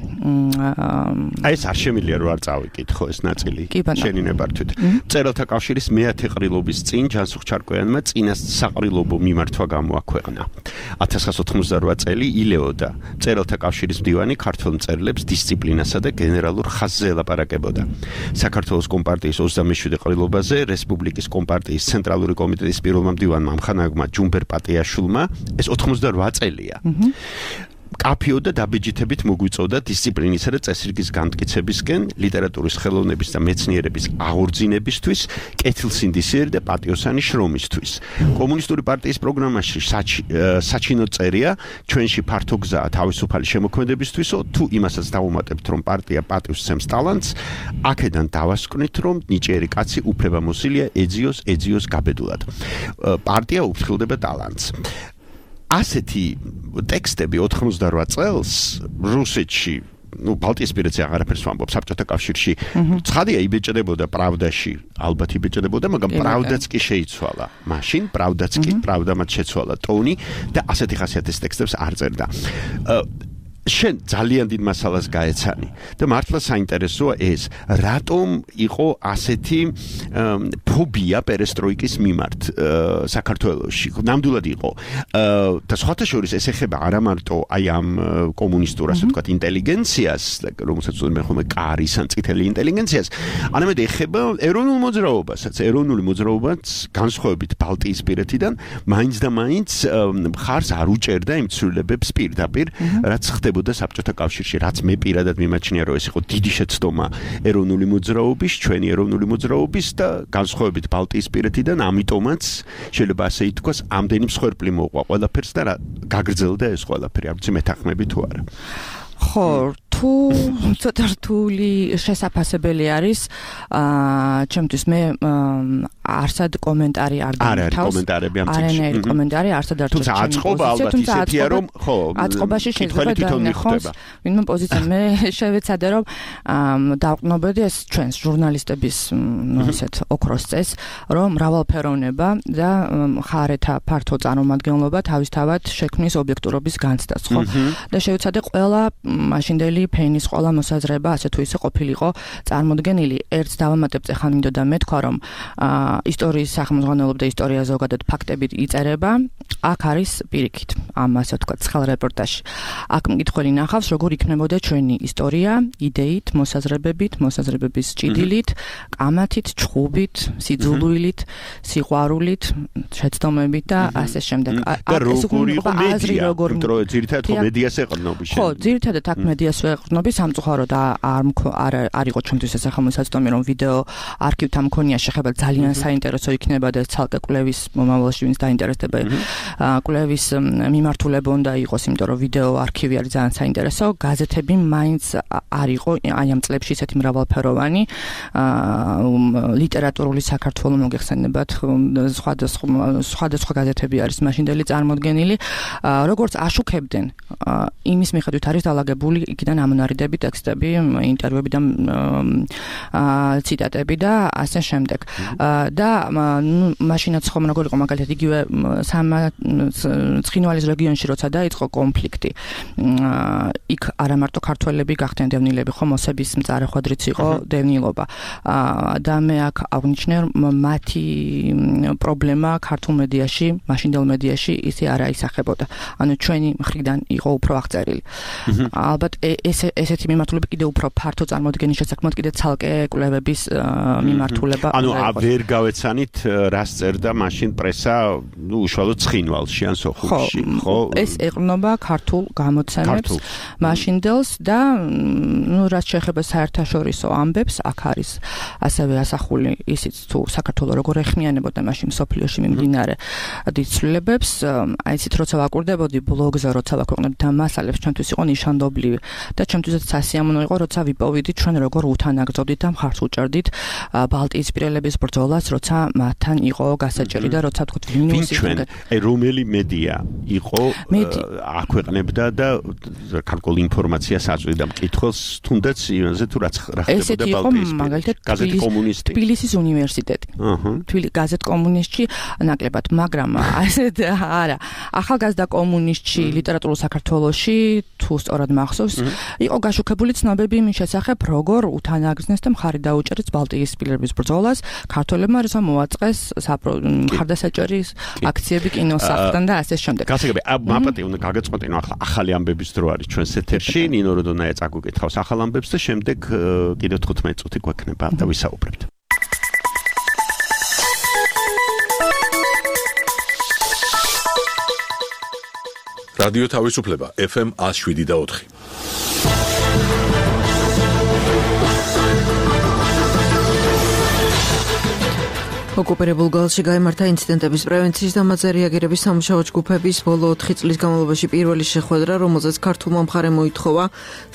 S3: აი ეს არ შემიძლია რომ არ წავიკითხო ეს ნაწილი შენი ნებართვით. მწერალთა კავშირის მეათე ყრილობის წინ ჯანსუღ ჩარკვიანმა წინას საყრილობო მიმართვა გამოაქვეყნა. 1998 წელი ილეოდა მწერალთა კავშირის მდივანი ქართულ მწერლებს დისციპლინასა და გენერალურ ხაზზე ელაპარაკებოდა. საქართველოს კომპარტიის 27 ყრილობაზე რესპუბლიკის კომპარტიის ცენტრალური კომიტეტის პირველმა მდივანმა ამხანაგმა ჯუმბერ პატიაშვილმა ეს 88 წელია. კაფიო და დაბეჯითებით მოგვიწოდა დისციპლინისა და წესრიგის განმტკიცებისკენ, ლიტერატურის ხელოვნების და მეცნიერების აღორძინებისთვის, კეთილსინდისიერი და პატიოსანი შრომისთვის. კომუნისტური პარტიის პროგრამაში საჩინო წერია ჩვენში ფართო გზაა თავისუფალი შემოქმედებისთვისო, თუ იმასაც დავუმატებთ, რომ პარტია პატივს სცემს ტალანტს, აქედან დავასკვნით, რომ ნიჭიერი კაცი უფლებამოსილია ეძიოს გაბედულად. პარტია უფრთხილდება ტალანტს. ასეთი ტექსტები 88 წელს რუსეთში, ბალტიისპირეთზე აღარაფერს ვამბობ, საბჭოთა კავშირში ცხადია იბეჭდებოდა პრავდაში, ალბათ იბეჭდებოდა, მაგრამ პრავდაც კი შეიცვალა. მაშინ პრავდაც კი, პრავდამაც შეცვალა ტონი და ასეთი ხასიათის ტექსტებს არ წერდა. შენ ძალიან დიდ მასალას გაეცანი და მართლა საინტერესოა ეს რატომ იყო ასეთი ფობია პერესტროიკის მიმართ საქართველოში ნამდვილად იყო და სხვათა შორის ეს ეხება არა მარტო აი ამ კომუნისტურ ასე ვთქვათ ინტელიგენციას რომელსაც უწოდებენ ხოლმე კარის ან წითელი ინტელიგენციას არამედ ეხება ეროვნულ მოძრაობასაც ეროვნული მოძრაობაც განსხვავებით ბალტიისპირეთიდან მაინც და მაინც მხარს არ უჭერდა იმ ცვლილებებს პირდაპირ რაც ხდებოდა საბჭოთა კავშირში რაც მე პირადად მიმაჩნია რომ ეს იყო დიდი შეცდომა ეროვნული მოძრაობის ჩვენი ეროვნული მოძრაობის და განსხვავებით ბალტიისპირეთიდან ამიტომაც შეიძლება ასე ითქვას ამდენი მსხვერპლი მოყვა ყველაფერს და გაგრძელდა ეს ყველაფერი არ ვიცი მეთანხმები თუ არა
S7: ხო თუ ცოტა რთული შესაძლებელი არის ჩემთვის მე არსად კომენტარი არ
S3: დამთავრებს კომენტარები ამ წიგნში
S7: არანაირი კომენტარი არსად არ
S3: თუმცა აწყობა ალბათ ისეთია რომ ხო
S7: აწყობაში შეიძლება დაინახოს ვინმე პოზიცია მე შევეცადე რომ დავყნობოდი ეს ჩვენს ჟურნალისტების ესეთ ოქროს წეს რომ მრავალფეროვნება და მხარეთა ფართო წარმომადგენლობა თავისთავად შექმნის ობიექტურობის განცდას ხო და შევეცადე ყველა მაშინდელი ფენის ყველა მოსაზრება ასე თუ ისე ყოფილიყო წარმოდგენილი ერთს დავამატებ ეხლა მინდოდა მეთქვა რომ ისტორიის სახელმძღვანელობა და ისტორია ზოგადად ფაქტებით იწერება აქ არის პირიქით ამ ასე ვთქვათ ცხელ რეპორტაჟში აქ მკითხველი ნახავს როგორ იქნებოდა ჩვენი ისტორია იდეით მოსაზრებებით მოსაზრებების ჭიდილით კამათით ჩხუბით სიძულვილით სიყვარულით შეცდომებით და ასე შემდეგ
S3: და როგორ იყო მედია რომ ძირითადად ხო მედიას ეყრდნობი
S7: ხო ძირითადად აქ მედიას ეყრდნობი სამწუხაროდ არ იყო ჩვენთვის ეს სახელმოსაწვდომი რომ ვიდეო არქივთან მქონია შეხება ძალიან საინტერესო იქნება და ცალკე კვლევის მომავალში ვინც დაინტერესდება კვლევის მიმართულება უნდა იყოს იმიტომ რომ ვიდეო არქივი არის ძალიან საინტერესო გაზეთები მაინც არ იყო აი ამ წლებში ისეთი მრავალფეროვანი ლიტერატურული საქართველოს მოგეხსენებათ სხვადასხვა გაზეთები არის მაშინდელი წარმოდგენილი როგორც აშუქებდნენ იმის მიხედვით არის დალაგებული იქიდან ამონარიდები ტექსტები ინტერვიუები და ციტატები და ასე შემდეგ და მაშინაც ხომ როგორ იყო მაგალითად იგივე ცხინვალის რეგიონში როცა დაიწყო კონფლიქტი იქ არა მარტო ქართველები გახდნენ დევნილები ხომ მოსების მწარეხვედრიც იყო დევნილობა და მე აქ აღნიშნე მათი პრობლემა ქართულ მედიაში მაშინდელ მედიაში ისე არ აისახებოდა ანუ ჩვენი მხრიდან იყო უფრო აღწერილი ალბათ ესეთი მიმართულება კიდე უფრო ფართო წარმოდგენის შესაქმნად კიდე ცალკე კვლევების მიმართულება
S3: ანუ ვერ გავეცანით რას წერდა მაშინ პრესა ნუ უშუალოდ ცხინვალში ან სოხუმში ხო
S7: ეს ეყრდნობა ქართულ გამოცემებს მაშინდელს და ნუ რაც შეეხება საერთაშორისო ამბებს აქ არის ასევე ასახული ისიც თუ საქართველოს როგორ ეხმიანებოდა მაშინ სოფლიოში მიმდინარე დიდ ცვლილებებს აი ისეთ როცა ვაკურდებოდი ბლოგზე როცა ვაქვეყნებდი ამ მასალებს ჩვენთვის იყო ნიშანდობლივი და ჩვენთვისაც სასიამოვნო იყო როცა ვიპოვიდით ჩვენ როგორ უთანაგრძობდით და მხარს უჭერდით ბალტიისპირელების ბრძოლას როცა მათთან იყო გასაჭერი და როცა თქვით ვილნიუსი
S3: აი რომელი მედია იყო აქვეყნებდა და ქართული ინფორმაციას აწვდიდა მკითხველს თუნდაც იონზე თუ რა ხდებოდა ბალტიისპირეთში გაზეთი კომუნისტი
S7: თბილისის უნივერსიტეტი გაზეთ კომუნისტში ნაკლებად მაგრამ ასეთ არა ახალგაზრდა კომუნისტში ლიტერატურულ საქართველოში თუ სწორად მახსოვს იყო გაშუქებული ცნობები იმის შესახებ როგორ უთანაგრძნეს და მხარი დაუჭერეს ბალტიისპირელების ბრძოლას ქართველებმა როცა მოაწყეს მხარდასაჭერის აქციები კინოსახლთან და ასე შემდეგ
S3: გასაგები მაპატი უნდა გაგეწყვეტინო ახლა ახალი ამბების დრო არის ჩვენს ეთერში ნინო როდონაია წაგუკითხავს ახალ ამბებს და შემდეგ კიდევ 15 წუთი გვექნება და ვისაუბრებთ
S1: რადიო თავისუფლება FM 107.4
S8: ოკუპირებულ გალში გაიმართა ინციდენტების პრევენციის და მათზე რეაგირების სამუშაო ჯგუფების ბოლო 4 წლის განმავლობაში პირველი შეხვედრა, რომელზეც ქართულმა მხარემ მოითხოვა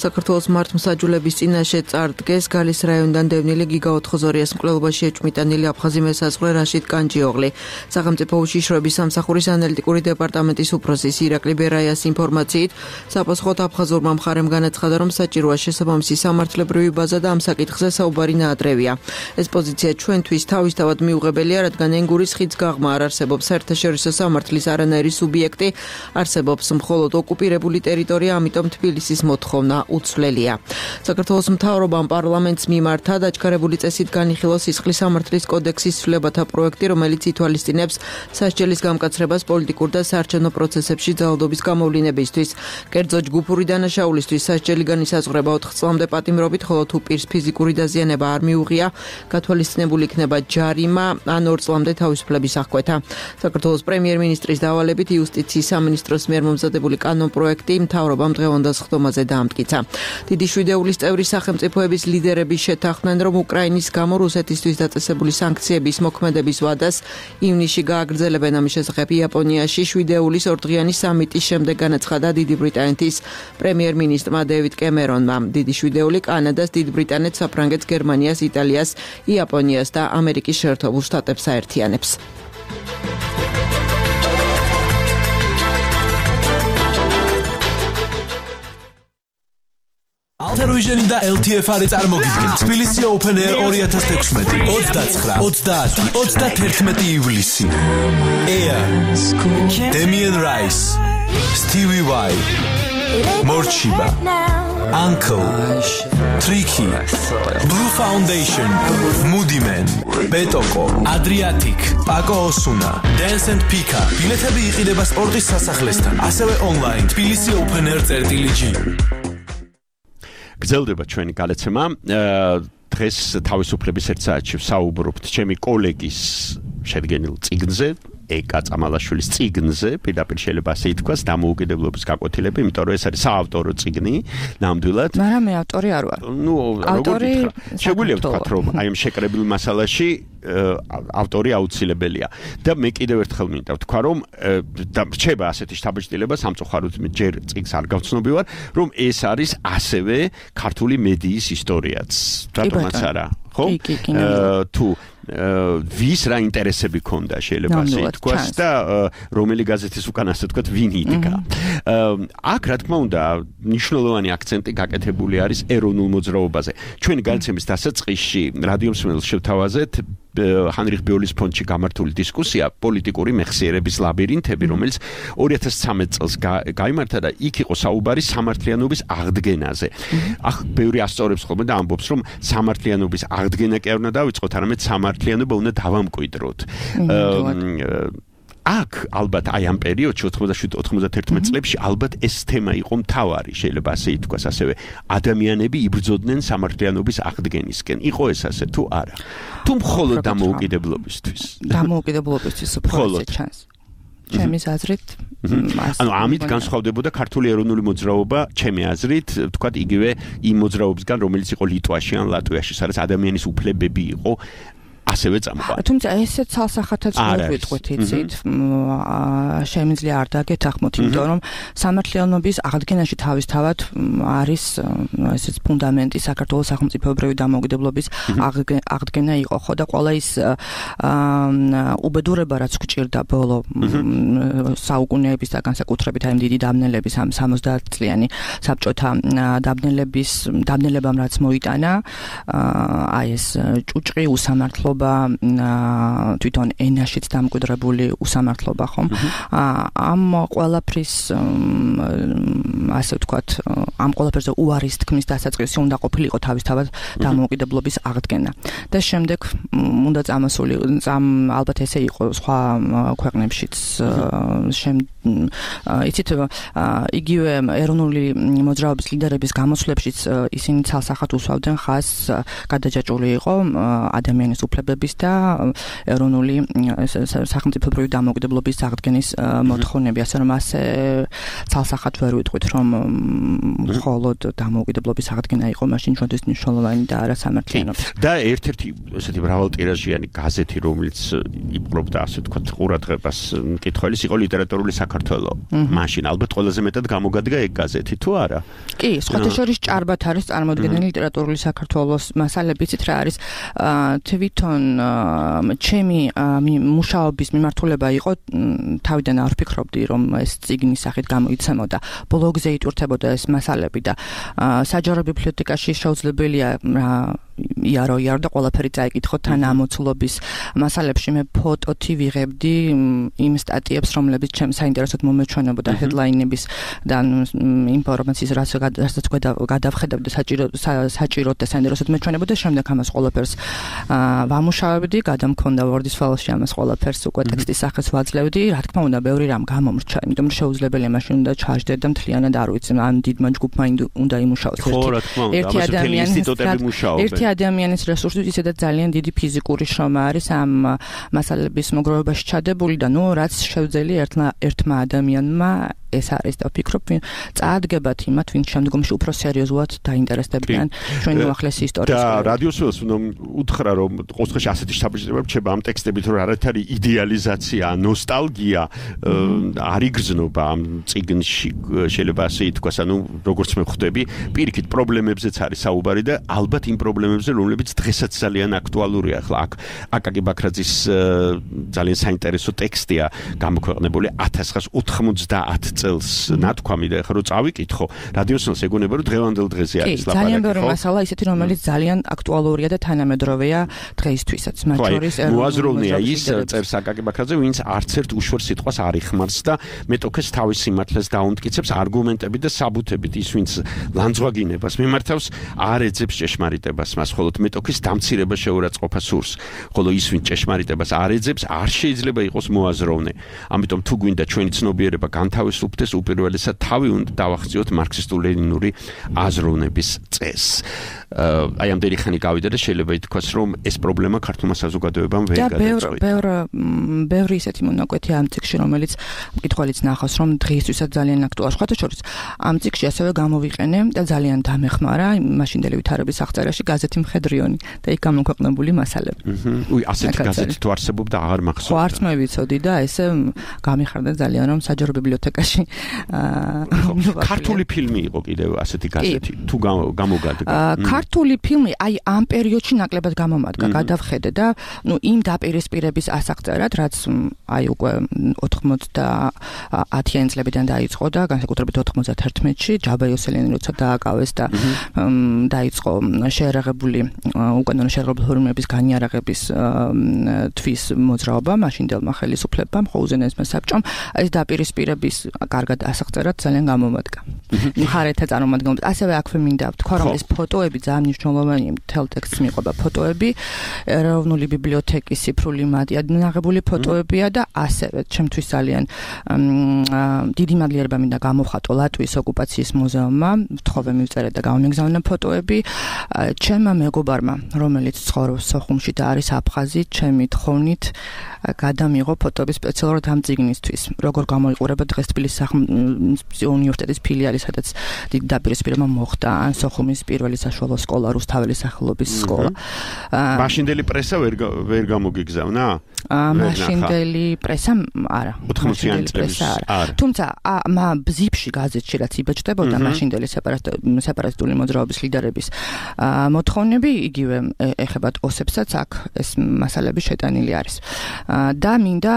S8: საქართველოს მართლმსაჯულების წინაშე წარდგეს გალის რაიონიდან დევნილი გიგა ოთხოზორიას მკვლელობაში ეჭვმიტანილი აფხაზი მესაზღვრე რაშიდ კანჯიოღლი. სახელმწიფო უშიშროების სამსახურის ანალიტიკური დეპარტამენტის უფროსის ირაკლი ბერაიას ინფორმაციით, საპასუხოდ აფხაზურმა მხარემ განაცხადა, რომ საჭიროა შესაბამისი სამართლებრივი ბაზა და ამ საკითხზე საუბარი ნაადრევია. ეს პოზიცია ჩვენთვის თავისთავად მიუღებელია დაუმსახურებელია, რადგან ენგურის ხიდს გაღმა არ არსებობს საერთაშორისო სამართლის არანაირი სუბიექტი, არსებობს მხოლოდ ოკუპირებული ტერიტორია, ამიტომ თბილისის მოთხოვნა უცვლელია. საქართველოს მთავრობამ პარლამენტს მიმართა დაჩქარებული წესით განიხილოს სისხლის სამართლის კოდექსის ცვლილებათა პროექტი, რომელიც ითვალისწინებს სასჯელის გამკაცრებას პოლიტიკურ და საარჩევნო პროცესებში ძალადობის გამოვლინებისთვის. კერძო ჯგუფური დანაშაულისთვის სასჯელი განისაზღვრება 4 წლამდე პატიმრობით, ხოლო თუ პირს ფიზიკური დაზიანება არ მიუღია, გათვალისწინებული იქნება ჯარიმა ან 2 წლამდე თავისუფლების აღკვეთა. საქართველოს პრემიერ-მინისტრის დავალებით იუსტიციის სამინისტროს მიერ მომზადებული კანონპროექტი მთავრობამ დღევანდელ სხდომაზე დაამტკიცა. დიდი შვიდეულის წევრი სახელმწიფოების ლიდერები შეთანხმდნენ, რომ უკრაინის გამო რუსეთისთვის დაწესებული სანქციების მოქმედების ვადას ივნისში გააგრძელებენ. ამის შესახებ იაპონიაში შვიდეულის ორდღიანი სამიტის შემდეგ განაცხადა დიდი ბრიტანეთის პრემიერ-მინისტრმა დევიდ კემერონმა. დიდი შვიდეული კანადას, დიდ ბრიტანეთს, საფრანგეთს, გერმანიას, იტალიას, იაპონიას და ამერიკის შეერთებულ შტატებს აერთიანებს.
S9: Altaruiženi და LTFR-ი წარმოგიდგენთ თბილისი Open Air 2016 29-31 ივლისი. Air, Damien Rice, Stevie Y, Morchiba, Uncle, Tricky, Blue Foundation, Moody Man, Betoko, Adriatic, Paco Osuna, Dance and Pika. ბილეთები იყიდება სპორტის სასახლესთან, ასევე online თბილისი Open Air.gr.
S3: გრძელდება ჩვენი გადაცემა. დღეს თავისუფლების ერთ საათში ვსაუბრობთ ჩემი კოლეგის შედგენილ წიგნზე, ეკა წამალაშვილის წიგნზე, პირდაპირ შეიძლება ასე ითქვას, დამოუკიდებლობის გაკვეთილები, იმიტომ რომ ეს არის საავტორო წიგნი, ნამდვილად.
S7: მაგრამ მე ავტორი არ ვარ.
S3: ნუ როგორ შეგვიძლია ვთქვათ, რომ აი ამ შეკრებილ მასალაში ავტორი აუცილებელია. და მე კიდევ ერთხელ მინდა ვთქვა, რომ და რჩება ასეთი შთაბეჭდილება სამწუხაროდ ჯერ წიგნს არ გავცნობივარ, რომ ეს არის ასევე ქართული მედიის ისტორიაც. რატომაც არა, ხო? თუ ვის რა ინტერესები ქონდა შეიძლება ასე ითქვას და რომელი გაზეთის უკან ასე ვთქვათ ვინ იდგა. აქ რა თქმა უნდა მნიშვნელოვანი აქცენტი გაკეთებული არის ეროვნულ მოძრაობაზე. ჩვენი განცემის დასაწყისში რადიო მსმენელს შევთავაზეთ ჰანრიხ ბიოლის ფონდში გამართული დისკუსია პოლიტიკური მეხსიერების ლაბირინთები, რომელიც 2013 წელს გაიმართა და იქ იყო საუბარი სამართლიანობის აღდგენაზე. ახ ბევრი ასწორებს ხოლმე და ამბობს, რომ სამართლიანობის აღდგენა კი არ უნდა დავიწყოთ, არამედ სამართლიანობა უნდა დავამკვიდროთ. აქ ალბათ აი ამ პერიოდში 87-91 წლებში ალბათ ეს თემა იყო მთავარი, შეიძლება ასე ითქვას, ასევე ადამიანები იბრძოდნენ სამართლიანობის აღდგენისკენ. იყო ეს ასე თუ არა? თუ მხოლოდ დამოუკიდებლობისთვის?
S7: დამოუკიდებლობისთვის უფრო ჩანს. ჩემის აზრით,
S3: ანუ ამით განსხვავდებოდა ქართული ეროვნული მოძრაობა, ჩემი აზრით, ვთქვათ, იგივე იმ მოძრაობისგან, რომელიც იყო ლიტვაში ან ლატვიაში, სადაც ადამიანის უფლებები იყო ასევე წამყვანი.
S7: თუმცა ესეც ცალსახათაც მოვიტყვით, იცით, შემიძლია არ დაგეთანხმოთ, იმიტომ რომ სამართლიანობის აღდგენაში თავისთავად არის ესეც ფუნდამენტი საქართველოს სახელმწიფოებრივი დამოუკიდებლობის აღდგენა იყო, ხო და ყველა ის უბედურება, რაც გვჭირდა ბოლო საუკუნეების და განსაკუთრებით აი დიდი დაბნელების ამ 70 წლიანი საბჭოთა დაბნელებამ რაც მოიტანა, აი ეს ჭუჭყი უსამართლო თვითონ ენაშიც დამკვიდრებული უსამართლობა ხომ ამ ყველაფრის ასე ვთქვათ ამ ყველაფერზე უარის თქმის დასაწყისი უნდა ყოფილიყო თავისთავად დამოუკიდებლობის აღდგენა და შემდეგ უნდა წამოსული ალბათ ესე იყო სხვა ქვეყნებშიც იცით იგივე ეროვნული მოძრაობის ლიდერების გამოსვლებშიც ისინი ცალსახად უსვავდნენ ხაზს გადაჯაჭვული იყო ადამიანის უფლებების და ეროვნული სახელმწიფოებრივი დამოუკიდებლობის აღდგენის მოთხოვნები, ასე რომ ასე ცალსახად ვერ ვიტყვით, რომ მხოლოდ დამოუკიდებლობის აღდგენა იყო მაშინ ჩვენთვის მნიშვნელოვანი და არა სამართლიანობა.
S3: და ერთ-ერთი ესეთი მრავალტირაჟიანი გაზეთი, რომელიც იპყრობდა ასე ვთქვათ ყურადღებას მკითხველის, იყო ლიტერატურული საქართველო. მაშინ ალბათ ყველაზე მეტად გამოგადგა ეგ გაზეთი, თუ არა?
S7: კი, სხვათა შორის ჭარბად არის წარმოდგენილი ლიტერატურული საქართველოს მასალები, იცით რა არის თვითონ ჩემი მუშაობის მიმართულება იყო თავიდან არ ვფიქრობდი რომ ეს წიგნის სახით გამოიცემოდა ბლოგზე იტვირთებოდა ეს მასალები და საჯარო ბიბლიოთეკაში შეუძლებელია იარო და ყველაფერი წაიკითხო თან ამოცულობის მასალებში მე ფოტოთი ვიღებდი იმ სტატიებს, რომლებიც ჩემს საინტერესოდ მომეჩვენებოდა headline-ების და ინფორმაციის რასაც გადავხედავდი საჭიროდ და საინტერესოდ მეჩვენებოდა, შემდეგ ამას ყველაფერს ვამუშავებდი, გადამქონდა Word-ის ფაილში ამას ყველაფერს უკვე ტექსტის სახეს ვაძლევდი, რა თქმა უნდა, ბევრი რამ გამომრჩა, იმიტომ რომ შეუძლებელია მაშინ უნდა ჩაჯდე და მთლიანად არ ვიცი, ან დიდმა ჯგუფმა უნდა იმუშაოს ერთი ადამიანის რესურსით ისედაც ძალიან დიდი ფიზიკური შრომა არის ამ მასალების მოგროვებაში ჩადებული და რაც შევძელი ერთმა ადამიანმა ეს არის და ვფიქრობ წაადგებათ იმათ, ვინც შემდგომში უფრო სერიოზულად დაინტერესდებიან ჩვენი უახლესი ისტორიის.
S3: და რადიოს ველს უნდა უთხრა რომ ყოველთვის ასეთი საბჭოება რჩება ამ ტექსტებით, რომ არ არის იდეალიზაცია, ნოსტალგია, არ იგრძნობა ამ წიგნში, შეიძლება ასე ითქვას, ანუ როგორც მე ხვდები, პირიქით პრობლემებზეც არის საუბარი და ალბათ იმ პრობლემებზე, რომლებიც დღესაც ძალიან აქტუალურია. ახლა აქ აკაკი ბაქრაძის ძალიან საინტერესო ტექსტია გამოქვეყნებული 1990 წელს ნათქვამი და ახლა რო წავიკითხო, რადიოსნელს ეგონება რომ დღევანდელ დღეზე არის ლაპარაკი.
S7: ძალიან ბევრი მასალა ისეთი, რომელიც ძალიან აქტუალურია და თანამედროვეა დღეისთვისაც. მათ შორის
S3: მოაზროვნეა ის წერს აკაკი ბაქრაძე, ვინც არც ერთ უშორ სიტყვას არ იხმარს და მეტოქეს თავის სიმართლეს დაუმტკიცებს არგუმენტებით და საბუთებით. ის ვინც ლანძღვაგინებას მიმართავს, არ ეძებს ჭეშმარიტებას, მას მხოლოდ მეტოქის დამცირება შეურაცხყოფა სურს. ხოლო ის ვინც ჭეშმარიტებას არ ეძებს, არ შეიძლება იყოს მოაზროვნე. ამიტომ თუ გვინდა ჩვენი ცნობიერება განთავისუფლდეს, უპირველესად თავი უნდა დავახციოთ მარქსისტულ-ლენინური აზროვნების წესს. აი ამდენი ხანი გავიდა და შეიძლება ითქვას, რომ ეს პრობლემა ქართულმა საზოგადოებამ ვერ გადაწყვიტა.
S7: ბევრი ისეთი მონაკვეთია ამ წიგნში, რომელიც მკითხველიც ნახავს, რომ დღეისთვისაც ძალიან აქტუალურია. სხვათა შორის, ამ წიგნში ასევე გამოვიყენე და ძალიან დამეხმარა მაშინდელი ვითარების აღწერაში გაზეთი მხედრიონი და იქ გამოქვეყნებული მასალები.
S3: ასეთი გაზეთი თუ არსებობდა, აღარ მახსოვს.
S7: ხო, არც მე ვიცოდი და ესე გამიხარდა ძალიან, რომ საჯარო ბიბლიოთეკაში
S3: ქართული ფილმი იყო კიდევ ასეთი გაზეთი თუ გამოგადგა.
S7: ქართული ფილმი აი ამ პერიოდში ნაკლებად გამომადგა, გადავხედე და იმ დაპირისპირების ასაღწერად, რაც აი უკვე 90-იანი წლებიდან დაიწყო და განსაკუთრებით 91-ში ჯაბა იოსელიანი როცა დააკავეს და დაიწყო შეერაღებული უკანონო შეერაღებული ფორმების განიარაღების თვის მოძრაობა მაშინდელმა ხელისუფლებამ, ხოუზენესმა საბჭომ, ეს დაპირისპირების კარგად ასაღწერად ძალიან გამომადგა. მხარეთა წარმომადგენლებს ასევე აქვე მინდა ვთქვა, რომ ეს ფოტოები ძალიან მნიშვნელოვანია, მთელ ტექსტს მიყვება ფოტოები, ეროვნული ბიბლიოთეკის ციფრული მადიადნაღებული ფოტოებია და ასევე ჩემთვის ძალიან დიდი მადლიერება მინდა გამოვხატო ლატვიის ოკუპაციის მუზეუმმა, ვთხოვე მივწერე და გამომიგზავნა ფოტოები ჩემმა მეგობარმა, რომელიც ცხოვრობს სოხუმში და არის აფხაზი, ჩემი თხოვნით გადამიღო ფოტოები სპეციალურად ამ წიგნისთვის. როგორ გამოიყურება დღეს თბილისის უნივერსიტეტის ფილიალი, სადაც დიდი დაპირისპირება მოხდა, ან სოხუმის პირველი საშუალო სკოლა, რუსთაველის სახელობის სკოლა.
S3: მაშინდელი პრესა ვერ გამოგიგზავნა?
S7: მაშინდელი პრესა არა.
S3: 80-იანი წლების არა.
S7: თუმცა ბზიფში გაზეთში რაც იბეჭდებოდა მაშინდელი სეპარატისტული მოძრაობის ლიდერების მოთხოვნები იგივე ეხებათ ოსებსაც აქ ეს მასალები შეტანილი არის. და მინდა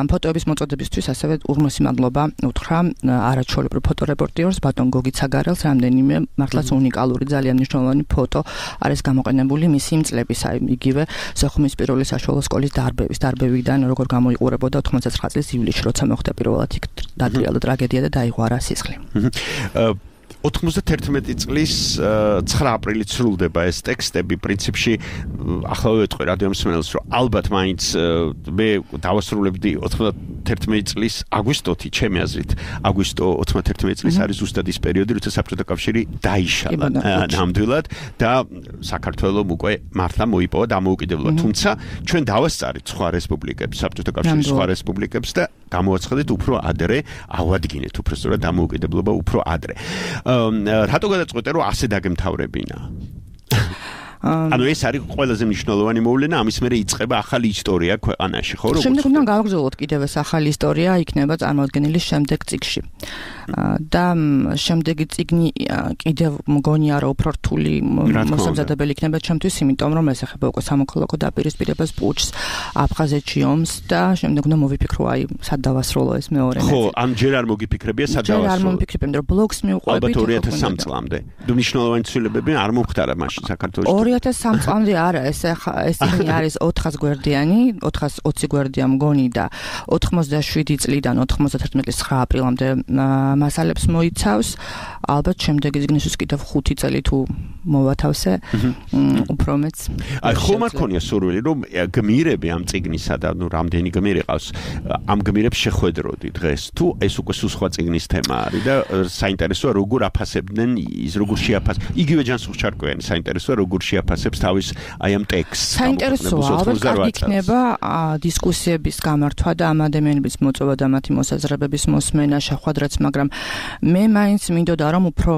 S7: ფოტოების მოწოდებისთვის ასევე უღმესი მადლობა უთხრა არაჩვეულებრივ ფოტორეპორტიორს ბატონ გოგი ცაგარელს, რამდენიმე მართლაც უნიკალური ძალიან მნიშვნელოვანი ფოტო არის გამოყენებული მისი იმ წლების, აი იგივე სოხუმის პირველი საშუალო სკოლის დარბევიდან როგორ გამოიყურებოდა 99 წლის ივლისში, როცა მოხდა პირველად იქ დატრიალა ტრაგედია და დაიღვარა სისხლი.
S3: 91 წლის 9 აპრილით სრულდება ეს ტექსტები, პრინციპში ახლა ვეტყვი რადიომსმენელს, რომ ალბათ მაინც მე დავასრულებდი 91 წლის აგვისტოთი, ჩემი აზრით, აგვისტო 91 წლის არის ზუსტად ის პერიოდი, როცა საბჭოთა კავშირი დაიშალა ნამდვილად და საქართველოს უკვე მართლა მოიპოვა დამოუკიდებლობა. თუმცა ჩვენ დავასწარით სხვა რესპუბლიკებს, საბჭოთა კავშირის სხვა რესპუბლიკებს და გამოაცხადეთ უფრო ადრე, ავადგინეთ უფრო სწორად დამოუკიდებლობა უფრო ადრე. რატო გადაწყვეტე რომ ასე დაგემთავრებინა? ანუ ეს არის ყველაზე მნიშვნელოვანი მოვლენა, ამის მერე იწყება ახალი ისტორია ქვეყანაში, ხო?
S7: შემდეგ უნდა გავაგრძელოთ კიდევ ეს ახალი ისტორია იქნება წარმოადგენილი შემდეგ წიგნში. და შემდეგი წიგნი კიდევ მგონია რომ უფრო რთული მოსამზადებელი იქნება ჩემთვის, იმიტომ რომ ეს ეხება უკვე სამოქალაქო დაპირისპირებას, პუჩს, აფხაზეთში ომს და შემდეგ უნდა მოვიფიქრო აი სად დავასრულო ეს მეორე ნაწილი.
S3: ხო, ან ჯერ არ მოგიფიქრებია სად დავასრულო.
S7: ჯერ არ მომიფიქრებ, იმიტომ რომ ბლოგს მივყვებით.
S3: ალბათ 2003 წლამდე. მნიშვნელოვანი ცვლილებები არ მომხდარა მაშინ საქართველოში.
S7: 2003 წლამდე არა, ეს წიგნი არის 400 გვერდიანი, 420 გვერდია მგონი და 97 წლიდან 91 წლის 9 აპრილამდე მასალებს მოიცავს. ალბათ შემდეგი წიგნისთვის კიდევ 5 წელი თუ მოვათავსე, უფრო მეც.
S3: აი ხომ არ ქონია სურვილი რომ გმირები ამ წიგნისა და ნუ რამდენი გმირი ყავს, ამ გმირებს შეხვედროდი დღეს თუ ეს უკვე სხვა წიგნის თემა არის და საინტერესოა როგორ აფასებდნენ ის როგორ შეაფასებს იგივე ჯანსუღ-ჩარკვიანი საინტერესოა როგორ შეაფასებს თავის აი ამ ტექსტს.
S7: საინტერესოა, ალბათ იქნება დისკუსიების გამართვა და ამ ადამიანების მოწვევა და მათი მოსაზრებების მოსმენა შეხვედრაც, მაგრამ მე მაინც მინდოდა რომ უფრო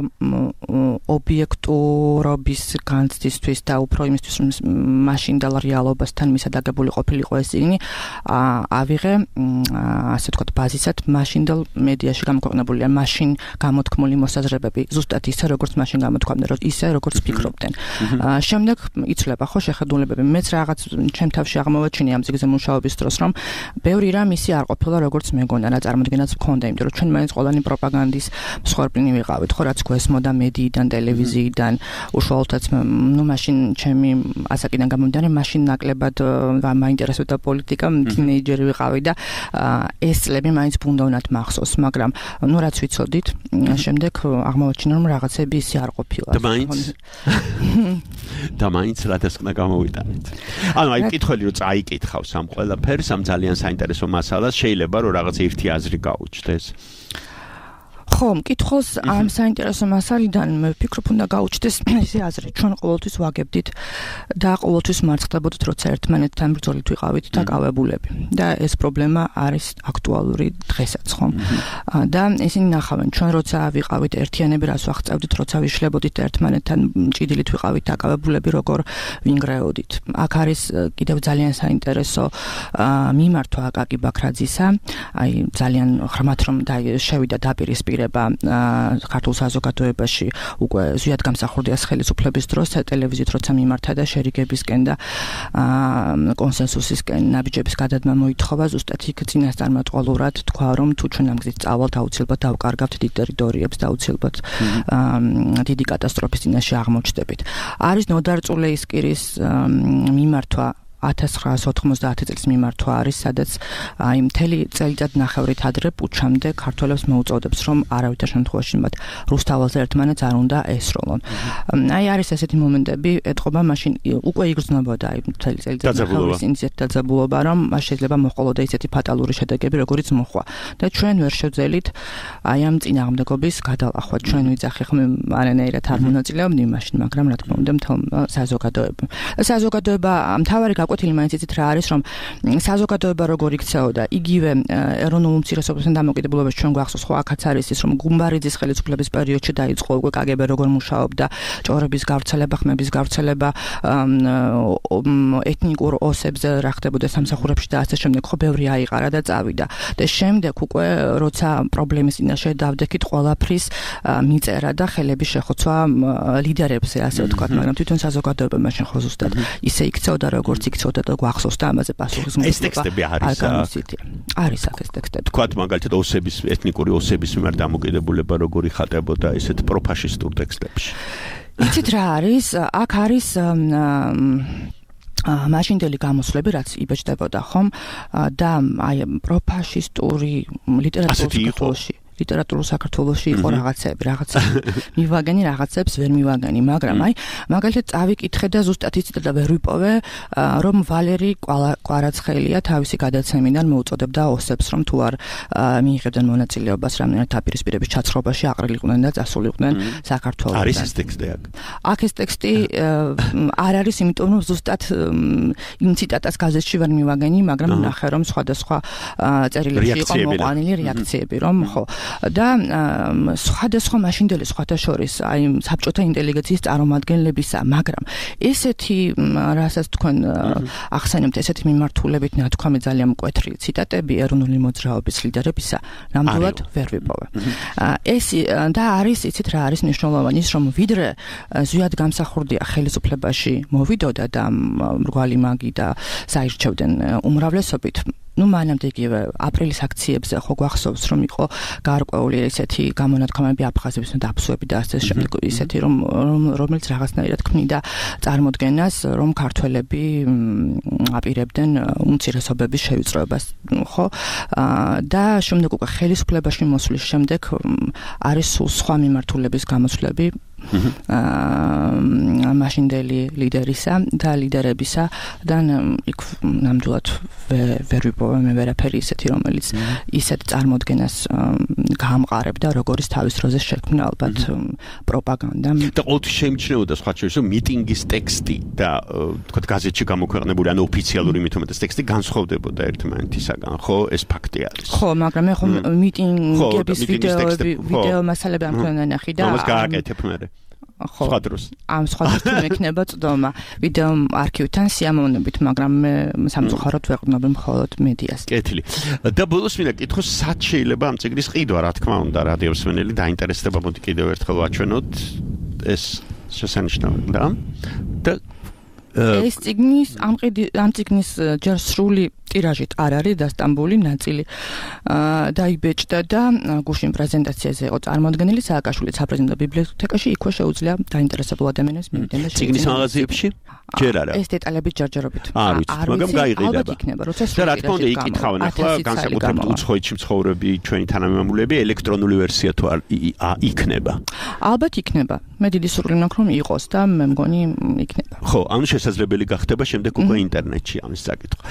S7: ობიექტურობის განცდისთვის და უფრო იმისთვის რომ მაშინდელ რეალობასთან მისადაგებული ყოფილიყო ეს წიგნი ავიღე ასე ვთქვათ ბაზისად მაშინდელ მედიაში გამოქვეყნებული მაშინ გამოთქმული მოსაზრებები ზუსტად ისე როგორც მაშინ გამოთქვამდნენ ისე როგორც ფიქრობდნენ. შემდეგ იცვლება ხო შეხედულებები. მეც რაღაც ჩემ თავში აღმოვაჩინე ამ წიგნზე მუშაობის დროს რომ ბევრი რამ ისი არ ყოფილა როგორც მეგონა რა წარმოდგენაც მქონდა, იმიტომ რომ ჩვენ მაინც ყველანი პროპაგანდის მსხვერპლი ვიყავით ხო რაც გვესმოდა მედიიდან, ტელევიზიიდან, უშუალოდაც ნუ მაშინ ჩემი ასაკიდან გამომდინარე მაშინ ნაკლებად მაინტერესებდა პოლიტიკა, თინეიჯერი ვიყავი და ეს წლები მაინც ბუნდოვნად მახსოვს, მაგრამ ნუ რაც ვიცოდით, შემდეგ აღმოვაჩინე რომ რაღაცები ისი არ ყოფილა.
S3: და მაინც რადასკნა გამოვიტანეთ. ანუ აი მკითხველი რომ წაიკითხავს ამ ყველაფერს, ამ ძალიან საინტერესო მასალას, შეიძლება რომ რაღაც ერთი აზრი გაუჩნდეს. ხო, მკითხველს ამ საინტერესო მასალიდან მე ვფიქრობ უნდა გაუჩნდეს ისე აზრი, ჩვენ ყოველთვის ვაგებდით და ყოველთვის მარცხდებოდით, როცა ერთმანეთთან ბრძოლით ვიყავით დაკავებულები. და ეს პრობლემა არის აქტუალური დღესაც, ხო? და ისინი ნახავენ, ჩვენ როცა ვიყავით ერთიანები, რას ვაღწევდით, როცა ვიშლებოდით ერთმანეთთან ჭიდილით ვიყავით დაკავებულები, როგორ ვინგრეოდით. აქ არის კიდევ ძალიან საინტერესო მიმართვა აკაკი ბაქრაძისა, აი ძალიან ღრმად რომ შევიდა დაპირისპირება ქართულ საზოგადოებაში უკვე ზუსტად გამსახურდიას ხელისუფლების დროს ტელევიზიით როცა მიმართა და შერიგებისკენ და კონსენსუსისკენ ნაბიჯების გადადგმა მოითხოვა ზუსტად იქ წინასწარმეტყველურად თქვა რომ თუ ჩვენ ამ გზით წავალთ აუცილებლად დავკარგავთ დიდ ტერიტორიებს და აუცილებლად დიდი კატასტროფის წინაშე აღმოჩნდებით. არის ნოდარ წულეისკირის მიმართვა 1990 წლის მიმართვა არის, სადაც აი მთელი წელიწადნახევრით ადრე პუჩამდე ქართველებს მოუწოდებს, რომ არავითარ შემთხვევაში მათ რუსთაველზე ერთმანეთს არ უნდა ესროლონ. აი არის ესეთი მომენტები, ეთყობა მაშინ უკვე იგრძნობოდა აი მთელი წელიწადნახევრის ინციდენტი დაძაბულობა, რომ მას შეიძლება მოჰყოლოდა ისეთი ფატალური შედეგები, როგორიც მოხდა. და ჩვენ ვერ შევძელით აი ამ წინააღმდეგობის გადალახვა. ჩვენ ვიძახი ხომ არანაირად არ მონაწილეობდნენ მაშინ, მაგრამ რა თქმა უნდა მთელ საზოგადოება მთავარი გაკვეთილი მაინც იცით რა არის, რომ საზოგადოება როგორ იქცეოდა, იგივე ეროვნულ უმცირესობებთან დამოკიდებულებას ჩვენ გვახსოვს, ხო აქაც არის ის, რომ გუმბარიძის ხელისუფლების პერიოდში დაიწყო უკვე კგბ როგორ მუშაობდა, ჭორების გავრცელება, ხმების გავრცელება, ეთნიკურ ოსებზე რა ხდებოდა სამსახურებში და ასე შემდეგ, ხო ბევრი აიყარა და წავიდა. და შემდეგ უკვე როცა პრობლემის წინაშე დავდექით ყველაფრის მიწერა და ხელების შეხოცვა ლიდერებზე, ასე ვთქვათ, მაგრამ თვითონ საზოგადოება მაშინ ხო ზუსტად ისე იქცეოდა, როგორც იქცეოდა და გვახსოვს და ამაზე პასუხისმგებლობა. ეს ტექსტები არის
S7: არის აქ ეს ტექსტები.
S3: თქვათ მაგალითად ოსების, ეთნიკური ოსების მიმართ დამოკიდებულება როგორი ხატებოდა ესეთ პროფაშისტურ ტექსტებში.
S7: იცით რა არის? აქ არის მაშინდელი გამოსვლები, რაც იბეჭდებოდა ხომ და აი პროფაშისტური ლიტერატურულ საქართველოში იყო რაღაცები მივაგენი, რაღაცებს ვერ მივაგენი, მაგრამ აი მაგალითად წავიკითხე და ზუსტად იცით და ვერ ვიპოვე, რომ ვალერი კვარაცხელია თავისი გადაცემიდან მოუწოდებდა ოსებს, რომ თუ არ მიიღებდნენ მონაწილეობას რამდენად დაპირისპირების ჩაცხრობაში აყრილიყვნენ და წასულიყვნენ საქართველოსთან.
S3: არის ეს ტექსტი აქ?
S7: აქ ეს ტექსტი არ არის, იმიტომ რომ ზუსტად იმ ციტატას გაზეთში ვერ მივაგენი, მაგრამ ნახე რომ სხვადასხვა წერილებში იყო მოყვანილი რეაქციები, რომ ხო და სხვადასხვა მაშინდელი სხვათა შორის აი საბჭოთა ინტელიგენციის წარმომადგენლებისა, მაგრამ ესეთი რასაც თქვენ ახსენებთ, ესეთი მიმართულებით ნათქვამი ძალიან მკვეთრი ციტატები ეროვნული მოძრაობის ლიდერებისა ნამდვილად ვერ ვიპოვე. ეს და არის, იცით რა არის მნიშვნელოვანი, ის რომ ვიდრე ზუსტად გამსახურდია ხელისუფლებაში მოვიდოდა და მრგვალი მაგი და საირჩევდნენ უმრავლესობით ნუ მანამდე იგივე აპრილის აქციებზე ხო გვახსოვს რომ იყო გარკვეული ესეთი გამონათქვამები აფხაზების დაფსვები და ასე შემდეგ ისეთი რომელიც რაღაცნაირად ქმნიდა წარმოდგენას რომ ქართველები აპირებდნენ უმცირესობების შევიწროებას ხო და შემდეგ უკვე ხელისუფლებაში მოსვლის შემდეგ არის სულ სხვა მიმართულების გამოსვლები მაშინდელი ლიდერისა და ლიდერებისა და იქ ნამდვილად ვერ ვიპოვე მე ვერაფერი ისეთი რომელიც ისეთ წარმოდგენას გაამყარებდა როგორც თავის დროზე შექმნა ალბათ პროპაგანდა
S3: და ყოველთვის შეიმჩნეოდა სხვა შორის რომ მიტინგის ტექსტი და თქვა გაზეთში გამოქვეყნებული ან ოფიციალური მithumetes ტექსტი განსხვავდებოდა ერთმანეთისაგან ხო ეს ფაქტი არის
S7: ხო მაგრამ ეხლა მიტინგების ვიდეო მასალები ამ თქვენ ნახი და
S3: ამას გააკეთებ მე ხო
S7: ამ სხვადასხვა მექნება წდომა ვიდეო არქივთან სიამოვნებით მაგრამ მე სამწუხაროდ ვეყრდნობ მხოლოდ მედიას
S3: კეთილი და ბოლოს მინდა კითხოს სად შეიძლება ამ წიგნის ყიდვა რა თქმა უნდა რადიოსმენელი დაინტერესდება მოდი კიდევ ერთხელ ვაჩვენოთ ეს შესანიშნავი და
S7: ეს წიგნის ამ წიგნის ჯერ სრული ტირაჟით არ არის დასტამბული ნაწილი დაიბეჭდა და გუშინ პრეზენტაციაზე იყო წარმოდგენილი სააკაშვილის საპრეზიდენტო ბიბლიოთეკაში იქვე შეუძლია დაინტერესებულ ადამიანებს მივიდნენ და
S3: წიგნის მაღაზიებში ჯერ არა
S7: ეს დეტალები ჯერჯერობით
S3: არ ვიცით მაგრამ გაიყიდება და რა თქმა უნდა იკითხავენ ახლა განსაკუთრებით უცხოეთში მცხოვრები ჩვენი თანამემამულეები ელექტრონული ვერსია თუ არ იქნება
S7: ალბათ იქნება მე დიდი სურვილი მაქვს რომ იყოს და მე მგონი იქნება
S3: ხო ანუ შესაძლებელი გახდება შემდეგ უკვე ინტერნეტში ამის საკითხვა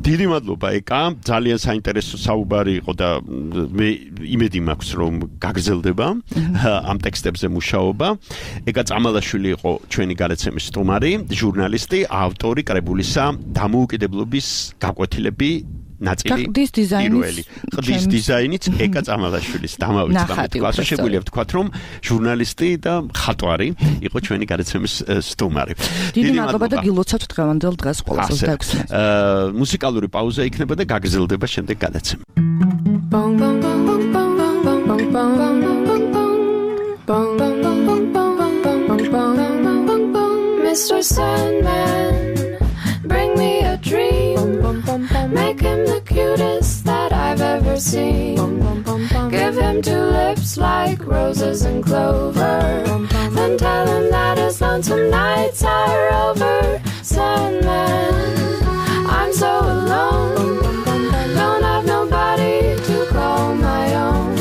S3: დიდი მადლობა ეკა ძალიან საინტერესო საუბარი იყო და მე იმედი მაქვს რომ გაგრძელდება ამ ტექსტებზე მუშაობა ეკა წამალაშვილი იყო ჩვენი გადაცემის სტუმარი ჟურნალისტი ავტორი კრებულისა დამოუკიდებლობის გაკვეთილები ნაწილი ყდის დიზაინიც ეკა წამალაშვილის დამავიწყდა ასე შეგვიძლია ვთქვათ რომ ჟურნალისტი და მხატვარი იყო ჩვენი გადაცემის სტუმარი
S7: დიდი მადლობა და გილოცავთ დღევანდელ დღეს ყველას 26-ს
S3: მუსიკალური პაუზა იქნება და გაგრძელდება შემდეგ გადაცემა
S10: Mr. Sandman, bring me a dream. Make him the cutest that I've ever seen. Give him 2 lips like roses and clover. Then tell him that his lonesome nights are over. Sandman, I'm so alone. Don't have nobody to call my own.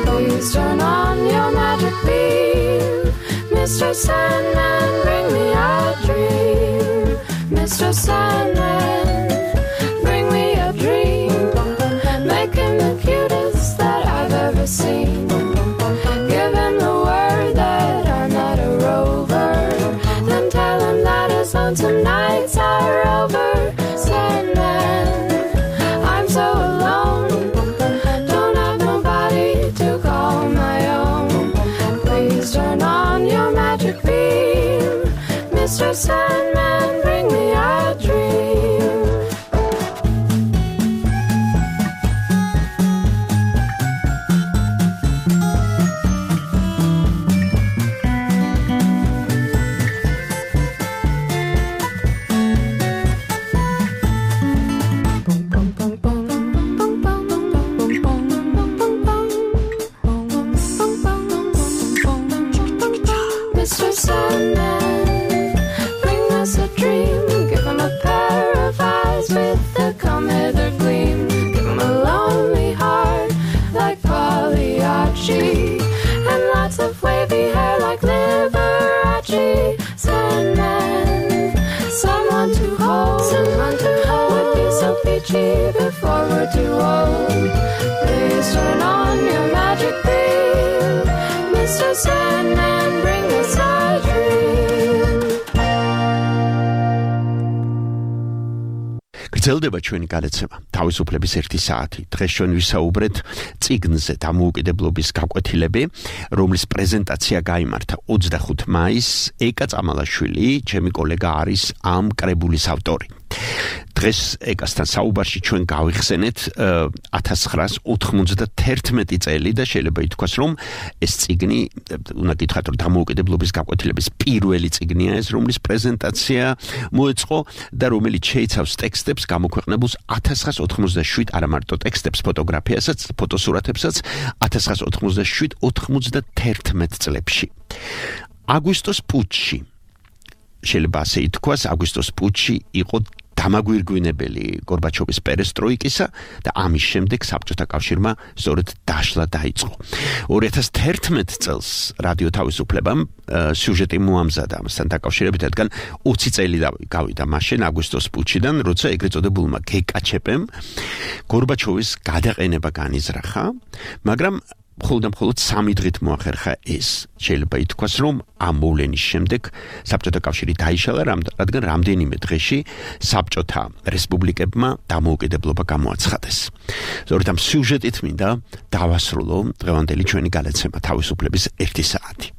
S10: Please turn on your magic beam. Mr. Sandman, bring me a dream. Mr. Sandman, bring me a dream. Make him the cutest that I've ever seen. Give him the word that I'm not a rover. Then tell him that his lonesome nights are over. Sandman, I'm so alone. Don't have nobody to call my own. Please turn on your magic beam. Mr. Sandman, bring me a dream. Mr. Sandman, bring us a dream. Give him a pair of eyes with a come hither gleam. Give him a lonely heart like Pagliacci, and lots of wavy hair like Liberace. Sandman, someone to hold would be so peachy before we're too old. Please turn on your magic beam. Mr. Sandman, bring us a dream.
S3: გრძელდება ჩვენი გადაცემა თავისუფლების 1 საათი დღეს ჩვენ ვისაუბრეთ წიგნზე დამოუკიდებლობის გაკვეთილები რომლის პრეზენტაცია გაიმართა 25 მაისს ეკა წამალაშვილი ჩემი კოლეგა არის ამ კრებულის ავტორი დღეს ეკასთან საუბარში ჩვენ გავიხსენეთ 1991 წელი და შეიძლება ითქვას, რომ ეს წიგნი, უნდა გითხრათ, რომ დამოუკიდებლობის გაკვეთილების პირველი წიგნია ეს, რომლის პრეზენტაცია მოეწყო და რომელიც შეიცავს ტექსტებს გამოქვეყნებულს 1997 არა მარტო ტექსტებს, ფოტოგრაფიასაც, ფოტოსურათებსაც 1997-91 წლებში. აგვისტოს პუტჩი შეიძლება ასე ითქვას, აგვისტოს პუტჩი იყო დამაგვირგვინებელი გორბაჩოვის პერესტროიკისა და ამის შემდეგ საბჭოთა კავშირმა სწორედ დაშლა დაიწყო. 2011 წელს რადიო თავისუფლებამ სიუჟეტი მოამზადა ამასთან დაკავშირებით, რადგან 20 წელი გავიდა მაშინ აგვისტოს პუტჩიდან, როცა ეგრეთ წოდებულმა გეკაჩეპემ გორბაჩოვის გადაყენება განიზრახა, მაგრამ მხოლოდ 3 დღით მოახერხა ეს. შეიძლება ითქვას, რომ ამ მოვლენის შემდეგ საბჭოთა კავშირი დაიშალა, რადგან რამდენიმე დღეში საბჭოთა რესპუბლიკებმა დამოუკიდებლობა გამოაცხადეს. სწორედ ამ სიუჟეტით მინდა დავასრულო დღევანდელი ჩვენი გადაცემა თავისუფლების 1 საათი.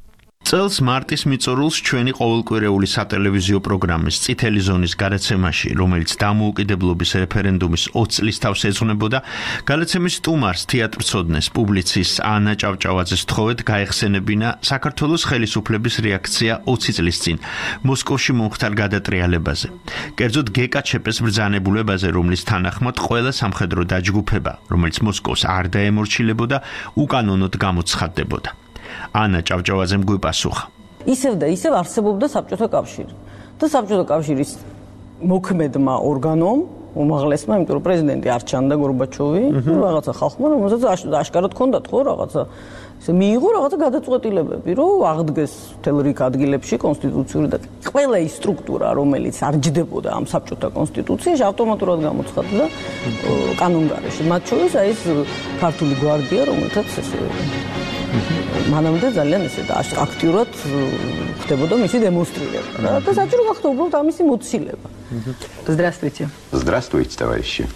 S3: წელს მარტის მიწურულს ჩვენი ყოველკვირეული სატელევიზიო პროგრამის წითელი ზონის გადაცემაში, რომელიც დამოუკიდებლობის რეფერენდუმის 20 წლის თავს ეძღვნებოდა, გადაცემის სტუმარს, თეატრმცოდნეს, პუბლიცისტს ანა ჭავჭავაძეს თხოვეთ გაეხსენებინა საქართველოს ხელისუფლების რეაქცია 20 წლის წინ მოსკოვში მომხდარ გადატრიალებაზე. კერძოდ გეკაჩეპეს ბრძანებულებაზე, რომლის თანახმად ყველა სამხედრო დაჯგუფება, რომელიც მოსკოვს არ დაემორჩილებოდა, უკანონოდ გამოცხადდებოდა. ანა ჭავჭავაძემ გვიპასუხა.
S11: ისევ და ისევ არსებობდა საბჭოთა კავშირი. და საბჭოთა კავშირის მოქმედმა ორგანომ, უმაღლესმა, იმიტომ რომ პრეზიდენტი არ ჩანდა გორბაჩოვი, რაღაცა ხალხმა, რომელსაც აშკარად ჰქონდათ ხო რაღაცა ესე მიიღო რაღაცა გადაწყვეტილებები, რომ აღდგეს მთელ რიგ ადგილებში კონსტიტუციური და ყველა ის სტრუქტურა, რომელიც არ ჯდებოდა ამ საბჭოთა კონსტიტუციაში, ავტომატურად გამოცხადდა კანონგარეში. მათ შორის აი ეს ქართული გვარდია, რომელთაც ესე მანამდე ძალიან ესე და აქტიურად ხდებოდა მისი დემონსტრირება და საჭირო გახდა უბრალოდ ამისი მოცილება. Здравствуйте.
S12: Здравствуйте, товарищи.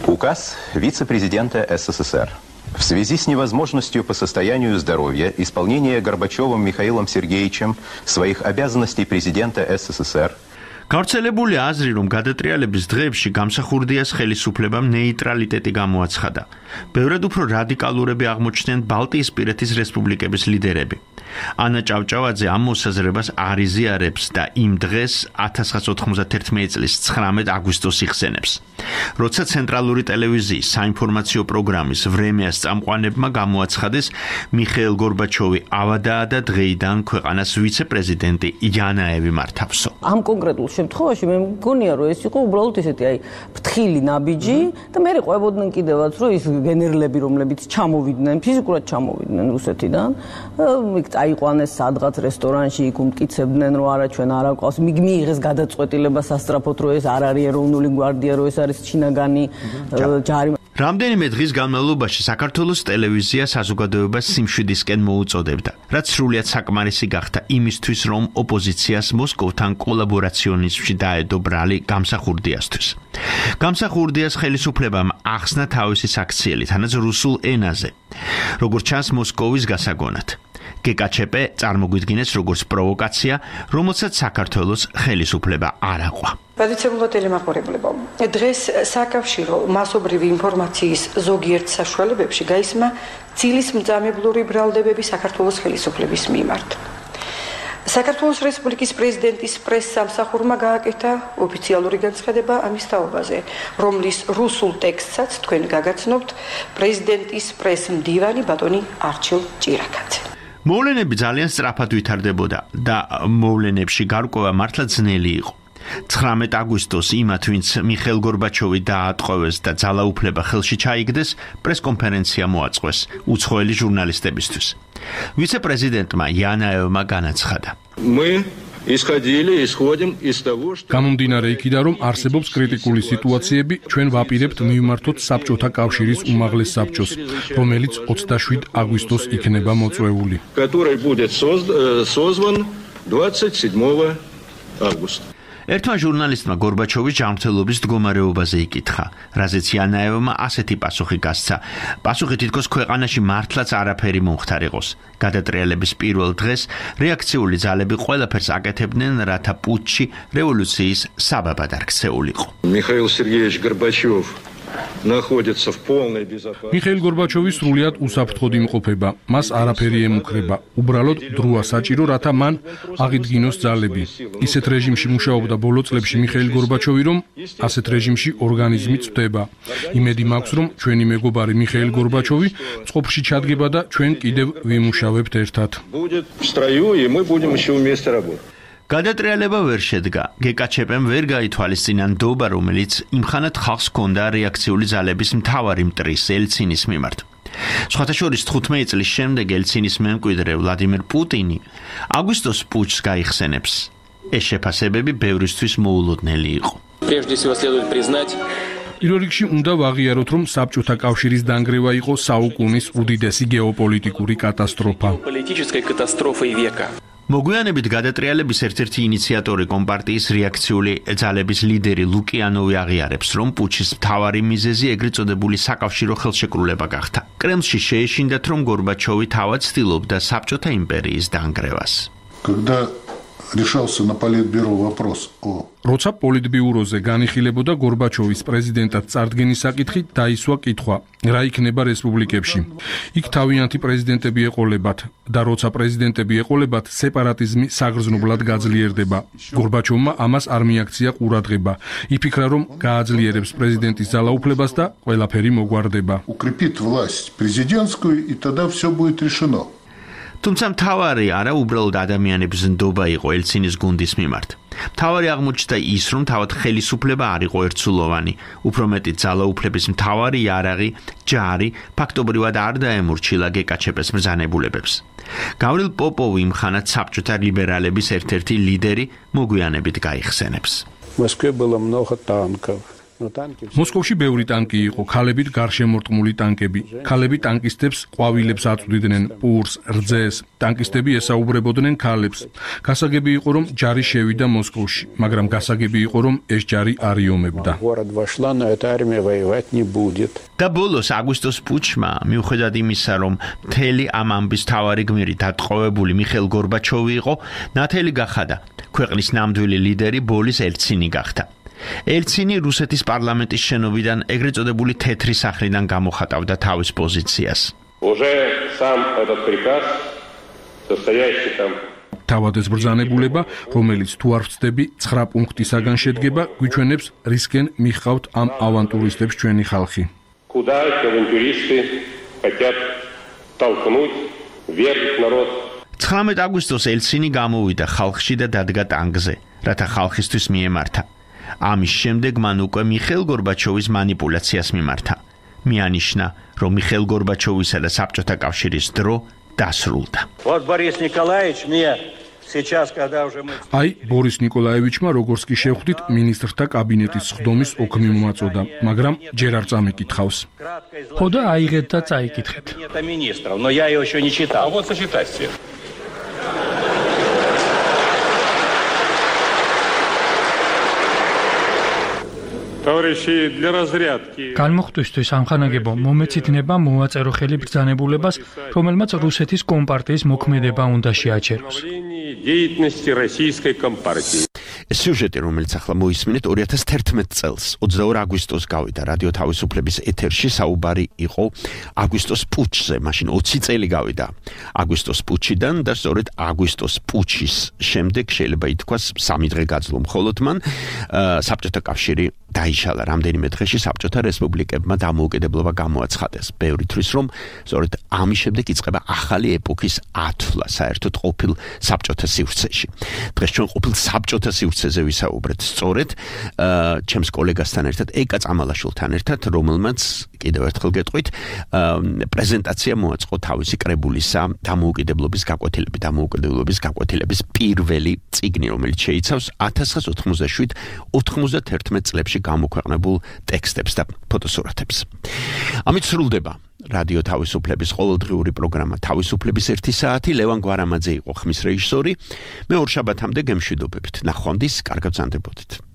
S12: Указ вице-президента СССР. В связи с невозможностью по состоянию здоровья исполнения Горбачевым Михаилом Сергеевичем своих обязанностей президента СССР
S3: გავრცელებული აზრი, რომ გადატრიალების დღეებში გამსახურდიას ხელისუფლებამ ნეიტრალიტეტი გამოაცხადა. ბევრად უფრო რადიკალურები აღმოჩნდნენ ბალტიისპირეთის რესპუბლიკების ლიდერები. ანა ჭავჭავაძე ამ მოსაზრებას არ იზიარებს და იმ დღეს 1991 წლის 19 აგვისტოს იხსენებს. როცა ცენტრალური ტელევიზიის საინფორმაციო პროგრამის ვრემიას წამყვანებმა გამოაცხადეს მიხეილ გორბაჩოვი ავადაა და დღეიდან ქვეყანას ვიცე-პრეზიდენტი იანაევი მართავსო.
S11: ამ კონკრეტულ შემთხვევაში მე მგონია, რომ ეს იყო უბრალოდ ესეთი აი ფრთხილი ნაბიჯი და მე ყვებოდნენ კიდევაც, რომ ის გენერლები, რომლებიც ჩამოვიდნენ, ფიზიკურად ჩამოვიდნენ რუსეთიდან, იქ აიყვანეს სადღაც რესტორანში, იქ უმტკიცებდნენ, რომ არა ჩვენ არ აკვავს, მიიღეს გადაწყვეტილება სასწრაფოდ, რომ ეს არ არის ეროვნული გვარდია, რომ ეს არის ჩინაგანი ჯარი.
S3: რამდენიმე დღის განმავლობაში საქართველოს ტელევიზია საზოგადოებას სიმშვიდისკენ მოუწოდებდა, რაც სრულიად საკმარისი გახდა იმისთვის, რომ ოპოზიციას მოსკოვთან კოლაბორაციონიზმში დაედო ბრალი გამსახურდიასთვის. გამსახურდიას ხელისუფლებამ ახსნა თავისი საქციელი, თანაც რუსულ ენაზე, როგორც ჩანს მოსკოვის გასაგონად. გეკაჩეპე წარმოგვიდგინეს როგორც პროვოკაცია, რომელსაც საქართველოს ხელისუფლება არ აყვა.
S13: პატივცემულოდელი მაყურებლებო, დღეს საკავშირო მასობრივი ინფორმაციის ზოგიერთ საშუალებებში გაისმა ძილის მძამებლური ბრალდებები საქართველოს ხელისუფლების მიმართ. საქართველოს რესპუბლიკის პრეზიდენტის პრესსამსახურმა გააკეთა ოფიციალური განცხადება ამის თაობაზე, რომლის რუსულ ტექსტსაც თქვენ გაგაცნობთ პრეზიდენტის პრესმდივანი ბატონი არჩილ ჭირაკაძე.
S3: მოვლენები ძალიან სწრაფად ვითარდებოდა და მოვლენებში გარკვევა მართლა ძნელი იყო. 19 აგვისტოს იმათ, ვინც მიხეილ გორბაჩოვი დაატყვევეს და ძალაუფლება ხელში ჩაიგდეს, პრესკონფერენცია მოაწყვეს უცხოელი ჟურნალისტებისთვის. ვიცე-პრეზიდენტმა იანაევმა განაცხადა.
S14: გამომდინარე იქიდან, რომ არსებობს კრიტიკული სიტუაციები, ჩვენ ვაპირებთ მივმართოთ საბჭოთა კავშირის უმაღლეს საბჭოს, რომელიც 27 აგვისტოს იქნება მოწვეული.
S3: ერთმა ჟურნალისტმა გორბაჩოვის ჯანმრთელობის მდგომარეობაზე იკითხა, რაზეც იანაევმა ასეთი პასუხი გასცა. პასუხი თითქოს ქვეყანაში მართლაც არაფერი მომხდარიყოს. გადატრიალების პირველ დღეს რეაქციული ძალები ყველაფერს აკეთებდნენ, რათა პუტჩი რევოლუციის საბაბად არ ქცეულიყო.
S4: Михаил Сергеевич Горбачев находится в полной безопасности.
S14: მიხეილ გორბაჩოვი სრულიად უსაფრთხოდ იმყოფება. მას არაფერი ემუქრება. უბრალოდ დროა საჭირო, რათა მან აღიდგინოს ძალები. ისეთ რეჟიმში მუშაობდა ბოლო წლებში მიხეილ გორბაჩოვი, რომ ასეთ რეჟიმში ორგანიზმი წვდება. იმედი მაქვს, რომ ჩვენი მეგობარი მიხეილ გორბაჩოვი წყობში ჩადგება და ჩვენ კიდევ ვიმუშავებთ ერთად.
S4: Будет в строю, и мы будем еще вместе работать.
S3: გადატრიალება ვერ შედგა. გეკაჩეპემ ვერ გაითვალისწინა ნდობა, რომელიც იმხანად ხალხს ჰქონდა რეაქციული ძალების მთავარი მტრის ელცინის მიმართ. სხვათა შორის 15 წლის შემდეგ ელცინის მემკვიდრე ვლადიმერ პუტინი აგვისტოს პუტჩს გაიხსენებს. ეს შეფასებები ბევრისთვის მოულოდნელი იყო.
S15: Прежде всего следует признать,
S14: პირველ რიგში უნდა ვაღიაროთ, რომ საბჭოთა კავშირის დანგრევა იყო საუკუნის უდიდესი გეოპოლიტიკური კატასტროფა.
S15: политической катастрофой века.
S3: მოგვიანებით გადატრიალების ერთ-ერთი ინიციატორი კომპარტიის რეაქციული ძალების ლიდერი ლუკიანოვი აღიარებს, რომ პუტჩის მთავარი მიზეზი ეგრეთ წოდებული საკავშირო ხელშეკრულება გახდა. კრემლში შეეშინდათ, რომ გორბაჩოვი თავად ცდილობდა საბჭოთა იმპერიის დანგრევას.
S16: Когда решался на политбюро вопрос о
S14: როცა პოლიტბიუროზე განიხილებოდა გორბაჩოვის პრეზიდენტად წარდგენის საკითხი, დაისვა კითხვა, რა იქნება რესპუბლიკებში. იქ თავიანთი პრეზიდენტები ეყოლებათ და როცა პრეზიდენტები ეყოლებათ, სეპარატიზმი საგრძნობლად გაძლიერდება. გორბაჩოვმა ამას არ მიაქცია ყურადღება. იფიქრა, რომ გააძლიერებს პრეზიდენტის ძალაუფლებას და ყველაფერი მოგვარდება.
S16: укрепит власть президентскую, и тогда все будет решено.
S3: თუმცა მთავარი არა უბრალოდ ადამიანების ნდობა იყო ელცინის გუნდის მიმართ. მთავარი აღმოჩნდა ის, რომ თავად ხელისუფლება არ იყო ერთსულოვანი. უფრო მეტი ძალაუფლების მთავარი იარაღი, ჯარი, ფაქტობრივად არ დაემორჩილა გეკაჩეპეს მბრძანებულებებს. გავრილ პოპოვი იმხანად საბჭოთა ლიბერალების ერთ-ერთი ლიდერი მოგვიანებით გაიხსენებს.
S17: Москве было много танков.
S14: მოსკოვში ბევრი ტანკი იყო, ქალებით გარშემორტყმული ტანკები. ქალები ტანკისტებს ყვავილებს აწვდიდნენ, პურს, რძეს. ტანკისტები ესაუბრებოდნენ ქალებს. გასაგები იყო, რომ ჯარი შევიდა მოსკოვში, მაგრამ გასაგები იყო, რომ ეს ჯარი არ იომებდა.
S17: Город вошла, но эта армия воевать не будет.
S3: და ბოლოს აგვისტოს პუტჩმა, მიუხედავად იმისა, რომ მთელი ამ ამბის თავარი გმირი დატყვევებული მიხეილ გორბაჩოვი იყო, ნათელი გახადა. ქვეყნის ნამდვილი ლიდერი ბოლის ელცინი გახდა. ელცინი რუსეთის პარლამენტის შენობიდან ეგრეთ წოდებული თეთრი სახლიდან გამოხატავდა თავის პოზიციას.
S18: Уже сам этот приказ, состоящий там
S14: თავად ეს ბრძანებულება, რომელიც თუ არ ვწდები 9 პუნქტისაგან შედგება, გვიჩვენებს რისკენ მიხავთ ამ ავანტურისტებს ჩვენი ხალხი.
S18: Куда авантюристы хотят толкнуть вверх народ.
S3: 19 აგვისტოს ელცინი გამოვიდა ხალხში და დადგა ტანგზე, რათა ხალხისთვის მიემართა. ამის შემდეგ მან უკვე მიხეილ გორბაჩოვის манипуляციას მიმართა. მიანიშნა, რომ მიხეილ გორბაჩოვისა და საბჭოთა კავშირის დრო დასრულდა.
S19: Вот Борис Николаевич мне сейчас, когда уже мы
S14: აი, ბორის ნიკოლაევიჩმა, როგორც კი შევხვდით, მინისტრთა კაბინეტის სხდომის ოქმი მომაწოდა, მაგრამ ჯერ არ წამიკითხავს.
S20: ხო და აიღეთ და წაიკითხეთ.
S19: Это министров, но я его еще не читал.
S18: А вот сочетайте. Товарищи, для разрядки.
S20: განმოხტვისთვის ამხანაგებო მომეცითნება მოვაწერო ხელი ბრძანებულებას, რომელმაც რუსეთის კომპარტიის მოქმედება უნდა შეაჩეროს.
S18: Деятельности российской компартии.
S3: სიუჟეტი, რომელიც ახლა მოისმინეთ, 2011 წელს 22 აგვისტოს გავიდა რადიო თავისუფლების ეთერში, საუბარი იყო აგვისტოს პუტჩზე. მაშინ 20 წელი გავიდა აგვისტოს პუტჩიდან და სწორედ აგვისტოს პუტჩის შემდეგ შეიძლება ითქვას 3 დღე გაძლო მხოლოდ მან საბჭოთა კავშირი დაიშალა. რამდენიმე დღეში საბჭოთა რესპუბლიკებმა დამოუკიდებლობა გამოაცხადეს. ბევრი თვლის, რომ სწორედ ამის შემდეგ იწყება ახალი ეპოქის ათვლა საერთოდ ყოფილ საბჭოთა სივრცეში. დღეს ჩვენ ყოფილ საბჭოთა სივრცეზე ვისაუბრეთ სწორედ ჩემს კოლეგასთან ერთად, ეკა წამალაშვილთან ერთად, რომელმაც კიდევ ერთხელ გეტყვით, პრეზენტაცია მოაწყო თავისი კრებულისა დამოუკიდებლობის გაკვეთილების პირველი წიგნი, რომელიც შეიცავს 1997-91 წლებში გამოქვეყნებულ ტექსტებს და ფოტოსურათებს. ამით სრულდება რადიო თავისუფლების ყოველდღიური პროგრამა თავისუფლების 1 საათი. ლევან გვარამაძე იყო ხმის რეჟისორი. მე ორ შაბათამდე გემშვიდობებით. ნახვამდის, კარგად გრძანდებოდეთ.